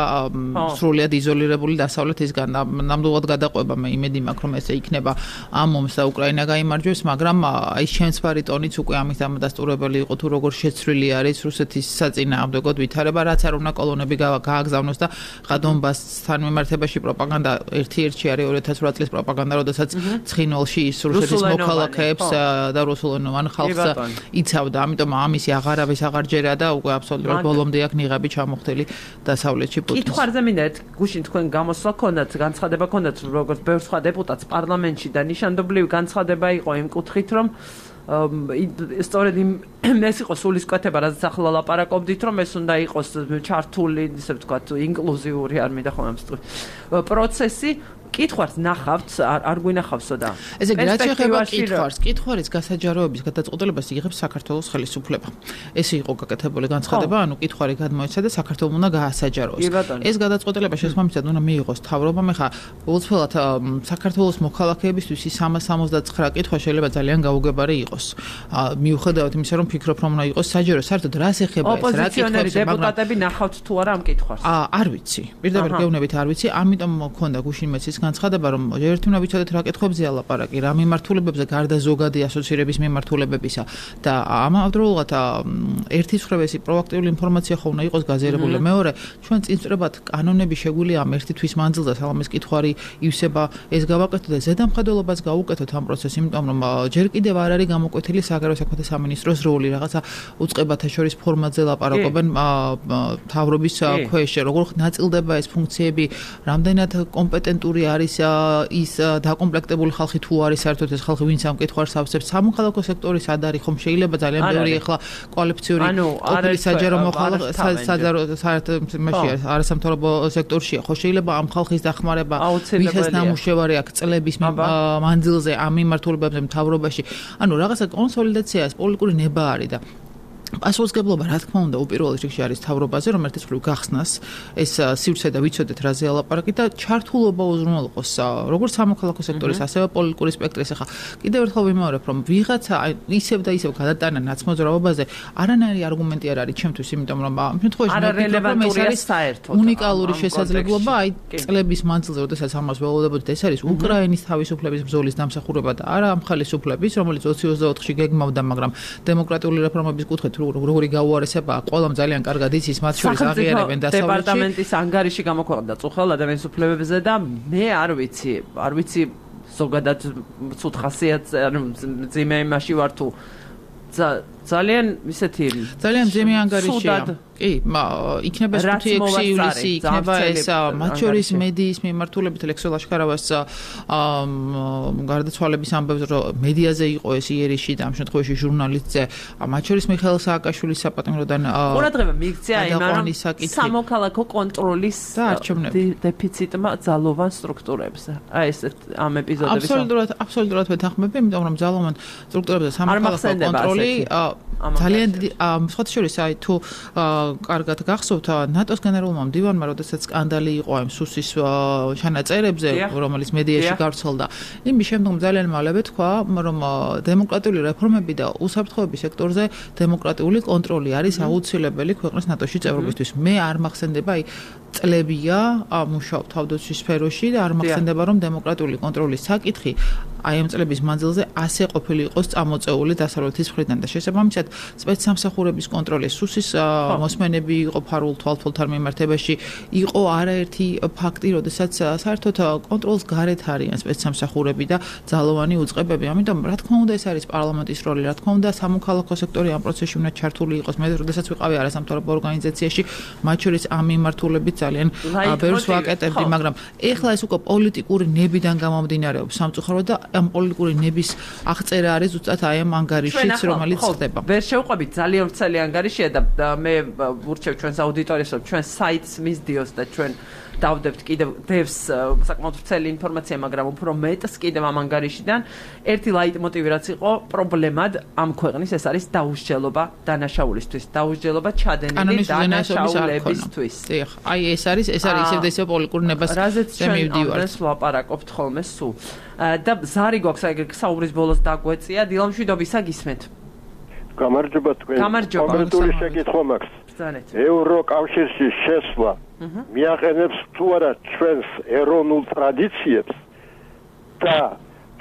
სრულიად იზოლირებული დასავლეთისგან ნამდვილად გადაყვება მე იმედი მაქვს რომ ესე იქნება ამ ომს და უკრაინა გაიმარჯვებს მაგრამ აი შემცვარი ტონიც უკვე ამით ამადასტურებელი იყო თუ როგორ შეცვლილი არის რუსეთის საწინააღმდეგოდ ვითარება რაც არ უნდა კოლონები გააგზავნოს და დონბასთან მიმართებაში პროპაგანდა და ერთი-ერთი არის ორი ათას ოთხ წლის პროპაგანდა, როდესაც ცხინვალში ის რუსეთის მოქალაქეებს და რუსულენოვან ხალხს იცავდა. ამიტომ ამისი აღარავის აღარ ჯერა და უკვე აბსოლუტურად ბოლომდე აქვს ნიღაბი ჩამოხდილი დასავლეთში პუტინს. კითხვაზე მინდა ერთ გუშინ თქვენ გამოსვლა ქონდათ, განცხადება ქონდათ როგორც ბევრ სხვა დეპუტატს პარლამენტში და ნიშანდობლივი განცხადება იყო იმ კუთხით, რომ სწორედ ეს იყო სულისკვეთება, რაც ახლა ლაპარაკობდით, რომ ეს უნდა იყოს ჩართული, ისე ვთქვათ, ინკლუზიური არ მინდა ხომ ამ პროცესი. კითხვას ნახავთ, არ გვინახავსო და ესე იგი, რაც შეეხება კითხვას, კითხვარის გასაჯაროების გადაწყვეტილებას იღებს საქართველოს ხელისუფლება. ეს იყო გაკეთებული განცხადება, ანუ კითხვარი გადმოეცა და საქართველოს უნდა გაასაჯაროს. ეს გადაწყვეტილება შესაბამისად უნდა მიიღოს თავრობამ. ეხლა უცხოელად საქართველოს მოქალაქეებისთვის სამას სამოცდათსამი კითხვა შეიძლება ძალიან გაუგებარი იყოს. მიუხედავად იმისა, რომ ფიქრობ, რომ უნდა იყოს საჯარო, საერთოდ რას ეხება ეს, რა კითხვებს დეპუტატები ნახავთ თუ არა ამ კითხვას? არ ვიცი. პირდაპირ გეუბნებით არ ვიცი, ამიტომ მქონდა გუშინ მეც განცხადება რომ ერთი უნდა ვიცოდეთ რა კითხვებზეა ლაპარაკი, რა მიმართულებებზე გარდა ზოგადი ასოცირების მიმართულებებისა და ამავდროულად ერთი ცხრევესი პროაქტიული ინფორმაცია ხო უნდა იყოს გაზიარებული. მეორე, ჩვენ წინწრებად კანონები შეგვიძლია ამ ერთი თვის მანძილზე სალამის კითხვარი ივსება ეს გავაკეთოთ და ზედამხედველობას გაუკეთოთ ამ პროცესს, იმიტომ რომ ჯერ კიდევ არ არის გამოკვეთილი საგარეო საქმეთა სამინისტროს როლი, რაღაცა უწყებათა შორის ფორმატზე ლაპარაკობენ თავრობის ქვეშ, როგორ ნაწილდება ეს ფუნქციები, რამდენად კომპეტენტური არის ის დაკომპლექტებული ხალხი თუ არის საერთოდ ეს ხალხი ვინც ამ კითხვას ავსებს სამოქალაქო სექტორის ad არის ხომ შეიძლება ძალიან ბევრი ახლა კვალიფიციური ყოფილი საჯარო მოხალხე საერთოდ მასში არასამთავრობო სექტორშია ხო შეიძლება ამ ხალხის დახმარება ვისაც ნამუშევარი აქვს წლების მანძილზე ამ მიმართულებებზე მთავრობაში ანუ რაღაცა კონსოლიდაცია ეს პოლიტიკური ნება არის და პასუხისმგებლობა რა თქმა უნდა უპირველეს რიგში არის თავრობაზე რომ ერთის მხრივ გახსნას ეს სივრცე და ვიცოდეთ რა ზეალაპარაკი და ჩართულობა უზრუნველყოს როგორც სამოქალაქო სექტორის ასევე პოლიტიკური სპექტრის ახლა კიდევ ერთხელ ვიმეორებ რომ ვიღაცა ისევ და ისევ გადატანა ნაცმოძრაობაზე არანაირი არგუმენტი არ არის ჩემთვის იმიტომ რომ ამ შემთხვევაში არა რელევანტურია საერთოდ უნიკალური შესაძლებლობა აი წლების მანძილზე როდესაც ამას ველოდებოდით ეს არის უკრაინის თავისუფლების ბრძოლის დამსახურება და არა ამ ხალისუფლების რომელიც ოცი ოცდაოთხში გეგმავდა მაგრამ დემოკრატიული რეფორმების კუთხით როგორი გაუარესება ყველამ ძალიან კარგად იცის მათ შორის აღიარებენ დასავლეთში დეპარტამენტის ანგარიში გამოქვეყნდა წუხელ ადამიანის უფლებებზე და მე არ ვიცი არ ვიცი ზოგადად ცუდ ხასიათს ანუ ძიმე იმაში ვარ თუ ძალიან ისეთი ძალიან ძიმე ანგარიშია კი იქნება ხუთი ექვსი ივლისი იქნება ეს მათ შორის მედიის მიმართულებით ლექსო ლაშქარავას გარდაცვალების ამბებს რომ მედიაზე იყო ეს იერიში და ამ შემთხვევაში ჟურნალისტზე მათ შორის მიხეილ სააკაშვილის საპატიმროდან ყურადღება მიიქცია იმან სამოქალაქო კონტროლის დეფიციტმა ძალოვან სტრუქტურებზე აი ეს ამ ეპიზოდების აბსოლუტურად აბსოლუტურად ვეთანხმები იმიტომ რომ ძალოვან სტრუქტურებზე სამოქალაქო კონტროლი ძალიან დიდი სხვა შორის აი თუ კარგად გახსოვთ ნატოს გენერალურმა მდივანმა როდესაც სკანდალი იყო ამ სუსის ჩანაწერებზე რომელიც მედიაში გავრცელდა იმის შემდგომ ძალიან მალევე თქვა რომ დემოკრატიული რეფორმები და უსაფრთხოების სექტორზე დემოკრატიული კონტროლი არის აუცილებელი ქვეყნის ნატოში წევრობისთვის მე არ მახსენდება აი წლებია მუშაობ თავდაცვის სფეროში და არ მახსენდება რომ დემოკრატიული კონტროლის საკითხი აი ამ წლების მანძილზე ასე ყოფილი იყოს წამოწეული დასავლეთის მხრიდან და შესაბამისად სპეცსამსახურების კონტროლის სუსის მოსმენები იყო ფარულ თვალთვალთან მიმართებაში იყო არაერთი ფაქტი როდესაც საერთოდ კონტროლს გარეთ არიან სპეცსამსახურები და ძალოვანი უწყებები ამიტომ რა თქმა უნდა ეს არის პარლამენტის როლი რა თქმა უნდა სამოქალაქო სექტორი ამ პროცესში უნდა ჩართული იყოს მე როდესაც ვიყავი არასამთავრობო ორგანიზაციაში მათ შორის ამ მიმართულებით ძალიან ბევრს ვაკეტებდი მაგრამ ეხლა ეს უკვე პოლიტიკური ნებიდან გამომდინარეობს სამწუხაროდ და ამ პოლიტიკური ნების აღწერა არის ზუსტად აი ამ ანგარიშიც რომელიც ხდება. ვერ შევყვებით ძალიან ვრცელი ანგარიშია და მე ვურჩევ ჩვენს აუდიტორიას რომ ჩვენ საიტს მისდიოს და ჩვენ დავდებთ კიდევ დევს საკმაოდ ვრცელი ინფორმაცია, მაგრამ უფრო მეტს კიდევ ამ ანგარიშიდან ერთი ლაიტმოტივი რაც იყო პრობლემად ამ ქვეყნის ეს არის დაუსჯელობა დანაშაულისთვის, დაუსჯელობა ჩადენილი დანაშაულებისთვის. დიახ, აი ეს არის, ეს არის ისევ და ისევ პოლიტიკური ნებას მივდივართ. ეს ვაპარაკობთ ხოლმე სულ. და ზარი გვაქვს აი საუბრის ბოლოს დაგვეწია, დილამშვიდობისა გისმენთ. გამარჯობა თქვენ. კომენტური შეკითხვა მაქვს. ევროკავშირში შესვლა მიაყენებს თუ არა ჩვენს ეროვნულ ტრადიციებს და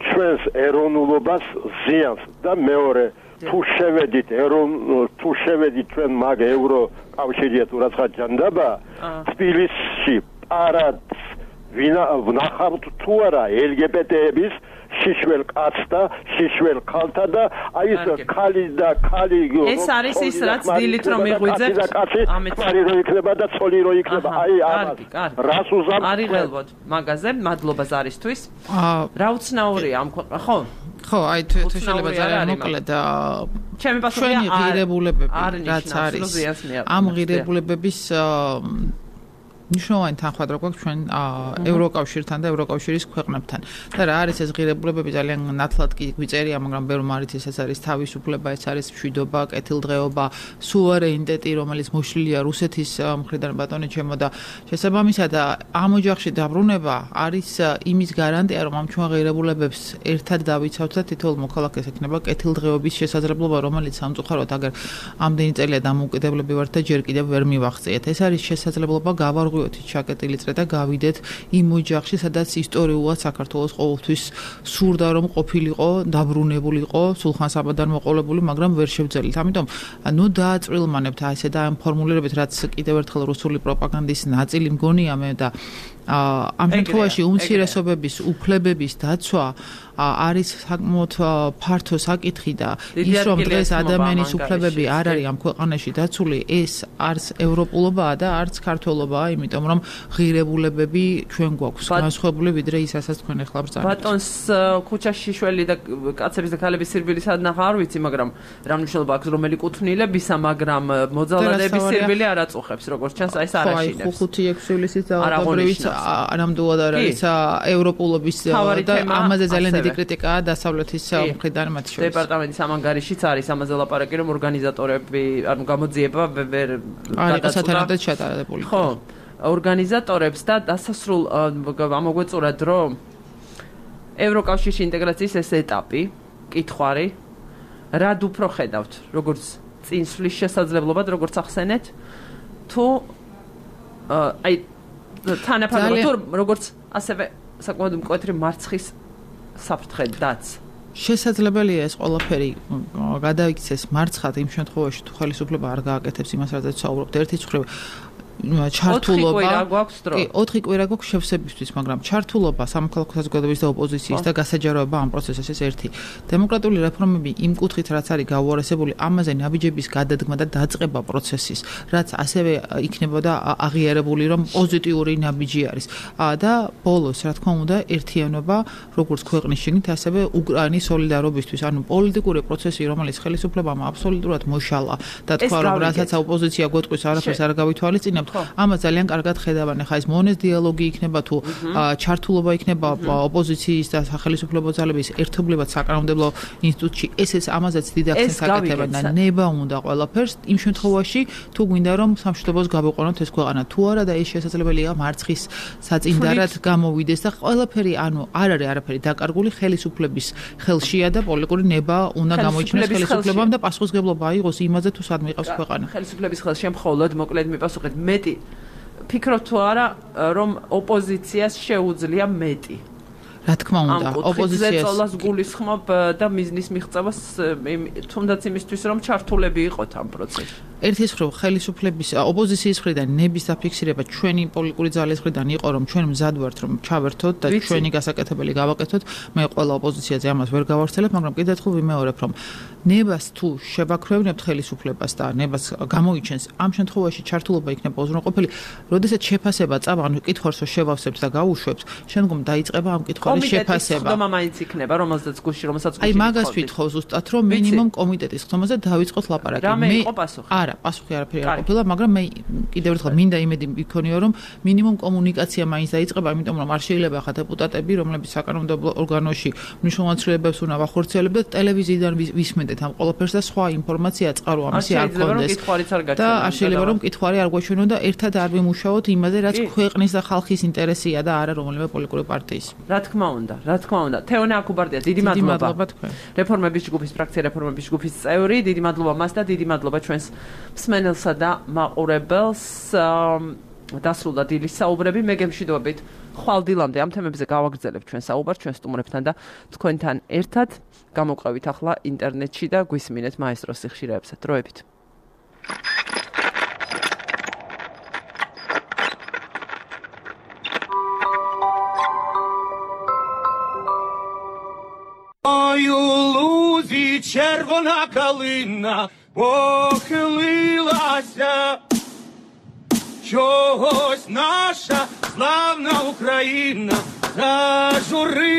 ჩვენს ეროვნულობას ზიანს და მეორე თუ შევედით ეროვნულ თუ შევედით ჩვენ მაგ ევროკავშირია თუ რაცა ჯანდაბა თბილისში პარადს ვნახავთ თუ არა ელ ჯი ბი ტი-ების შიშველ კაცს და შიშველ ქალთა და აი ეს ქალი და ქალი ეს არის ის რაც დილით რომ მიღვიძებთ ამეთ ფარი რო იქნება და ცოლი რო იქნება აი ამას რას უზამთ არის ღელვოდ მაგაზე მადლობა ზარისთვის რა უცნაურია ამ ქვეყნა ხო ხო აი თუ შეიძლება ძალიან მოკლედ ჩემი პასუხია ღირებულებები რაც არის ამ ღირებულებების ნიშნავენ თანხმად როგორ ჩვენ ევროკავშირთან და ევროკავშირის ქვეყნებთან და რა არის ეს ღირებულებები ძალიან ნათლად კი გვიწერია მაგრამ ბევრ მარიცის ეს არის თავისუფლება ეს არის მშვიდობა კეთილდღეობა სუვერენიტეტი რომელიც მოშლილია რუსეთის მხრიდან ბატონი ჩემო და შესაბამისად ამ ოჯახში დაბრუნება არის იმის გარანტია რომ ამ ჩვენ ღირებულებებს ერთად დავიცავთ და თითოეულ მოქალაქეს ექნება კეთილდღეობის შესაძლებლობა რომელიც სამწუხაროდ აგერ ამდენი წელია დამოუკიდებლები ვართ და ჯერ კიდევ ვერ მივახციეთ ეს არის შესაძლებლობა გავარღვიოთ ჩაკეტილი წრე და გავიდეთ იმ ოჯახში, სადაც ისტორიულად საქართველოს ყოველთვის სურდა რომ ყოფილიყო, დაბრუნებულიყო, სულხან საბადან მოყოლებული, მაგრამ ვერ შევძელით. ამიტომ ნუ დააწვრილმანებთ ასე და ამ ფორმულირებით, რაც კიდევ ერთხელ რუსული პროპაგანდის ნაწილი მგონია მე და ამ შემთხვევაში უმცირესობების უფლებების დაცვა არის საკმაოდ ფართო საკითხი და ის რომ დღეს ადამიანის უფლებები არ არის ამ ქვეყანაში დაცული, ეს არც ევროპულობაა და არც ქართველობაა, იმიტომ რომ ღირებულებები ჩვენ გვაქვს განსხვავებული ვიდრე ის, რასაც თქვენ ახლა ბრძანებთ. ბატონს ქუჩაში შველი და კაცების და ქალების სირბილი სადნახა არ ვიცი, მაგრამ რა მნიშვნელობა აქვს რომელი კუთვნილებისა, მაგრამ მოძალადების სირბილი არ აწუხებს, როგორც ჩანს, აი ეს არ აშინებს. ხო, ხუთი ექვსი ივლისის დაავადებრივით ანამდვილად არის ევროპულობის და ამაზე ძალიან დიდი კრიტიკაა დასავლეთის მხრიდან მათ შორის. დეპარტამენტის ამ ანგარიშიც არის ამაზე ლაპარაკი, რომ ორგანიზატორები, ანუ გამოძიება ვერ გადაწყვეტა ჩატარებული. ხო, ორგანიზატორებს და დასასრულ ამოგვეწურათ, რომ ევროკავშირში ინტეგრაციის ეს ეტაპი, კითხვარი, რად უფრო ხედავთ, როგორც წინსვლის შესაძლებლობად, როგორც ახსენეთ, თუ აი თანაფარდობად თუ როგორც ასევე საკმაოდ მკვეთრი მარცხის საფრთხედაც შესაძლებელია ეს ყველაფერი გადაიქცეს მარცხად იმ შემთხვევაში თუ ხელისუფლება არ გააკეთებს იმას რაზეც საუბრობთ ერთი ცხრა ჩართულობა კი ოთხი კვირა გვაქვს შევსებისთვის მაგრამ ჩართულობა სამოქალაქო საზოგადოების და ოპოზიციის და გასაჯაროება ამ პროცესის ეს ერთი დემოკრატიული რეფორმები იმ კუთხით რაც არის გაუარესებული ამაზე ნაბიჯების გადადგმა და დაწყება პროცესის რაც ასევე იქნებოდა აღიარებული რომ პოზიტიური ნაბიჯი არის და ბოლოს რა თქმა უნდა ერთიანობა როგორც ქვეყნის შიგნით ასევე უკრაინის სოლიდარობისთვის ანუ პოლიტიკური პროცესი რომელიც ხელისუფლებამ აბსოლუტურად მოშალა და თქვა რომ რასაც ოპოზიცია გვეტყვის არაფერს არ გავითვალისწინებთ ამას ძალიან კარგად ხედავენ. ხა ეს მონეს დიალოგი იქნება თუ ჩართულობა იქნება ოპოზიციის და სახელმწიფო ძალების ერთობლივად საკანონმდებლო ინსტიტუტში. ეს ეს ამაზეც დიდ აქცენტს აკეთებენ და ნება უნდა ყველაფერს იმ შემთხვევაში თუ გვინდა რომ სამშვიდობოს გავიყვანოთ ეს ქვეყანა თუ არა და ეს შესაძლებელია მარცხის საწინდარად გამოვიდეს და ყველაფერი ანუ არ არის არაფერი დაკარგული ხელისუფლების ხელშია და პოლიტიკური ნება უნდა გამოიჩინოს ხელისუფლებამ და პასუხისმგებლობა აიღოს იმაზე თუ სად მიყავს ქვეყანა. ხელისუფლების ხელშია მხოლოდ მოკლედ მიპასუხეთ მეტი ფიქრობ თუ არა რომ ოპოზიციას შეუძლია მეტი რა თქმა უნდა ოპოზიციას ზეწოლას გულისხმობ და მიზნის მიღწევას თუნდაც იმისთვის რომ ჩართულები იყოთ ამ პროცესში ერთი ის ხრო ხელისუფლების ოპოზიციის მხრიდან ნების დაფიქსირება ჩვენი პოლიტიკური ძალის მხრიდან იყო რომ ჩვენ მზად ვართ რომ ჩავერთოთ და ჩვენი გასაკეთებელი გავაკეთოთ მე ყველა ოპოზიციაზე ამას ვერ გავავრცელებ მაგრამ კიდევ ერთხელ ვიმეორებ რომ ნებას თუ შევაქრევნებთ ხელისუფლებას და ნებას გამოიჩენს ამ შემთხვევაში ჩართულობა იქნება უზრუნველყოფილი როდესაც შეფასება წავა ანუ კითხვას შევავსებთ და გაუშვებთ შემდგომ დაიწყება ამ კითხვის შეფასება ხდომა მაინც იქნება რომელსაც გუში რომელსაც გუში აი მაგას ვითხოვ ზუსტად რომ მინიმუმ კომიტეტის ხდომაზე დავიწყოთ ლაპარაკი რამე იყო პასუხი არა პასუხი არაფერი არ ყოფილა მაგრამ მე კიდევ ერთხელ მინდა იმედი მქონიო რომ მინიმუმ კომუნიკაცია მაინც დაიწყება იმიტომ რომ არ შეიძლება ხა დეპუტატები რომლებიც საკანონმდებლო ორგანოში მნიშვნელოვან ცვლილებებს უნდა ვახორციელებდეთ ტელევიზიიდან ვისმენდეთ ამ ყველაფერს და სხვა ინფორმაცია წყარო ამისი არ გქონდეს და არ შეიძლება რომ კითხვარი არ გვაჩვენო და ერთად არ ვიმუშაოთ იმაზე რაც ქვეყნის და ხალხის ინტერესია და არა რომელიმე პოლიტიკური პარტიის რა თქმა უნდა რა თქმა უნდა თეონა აკუბარდია დიდი მადლობა რეფორმების ჯგუფის ფრაქცია რეფორმების ჯგუფის წევრი დიდი მადლობა მას და დიდი მადლობა ჩვენს მსმენელსა და მაყურებელს დასრულდა დილის საუბრები მე გემშვიდობებით ხვალ დილამდე ამ თემებზე გავაგრძელებ ჩვენ საუბარს ჩვენ სტუმრებთან და თქვენთან ერთად გამოვყევით ახლა ინტერნეტში და გვისმინეთ მაესტროს სიხშირეებსა დროებით Ой, у лузі червона калина похилилася, чогось наша славна Україна зажурилася.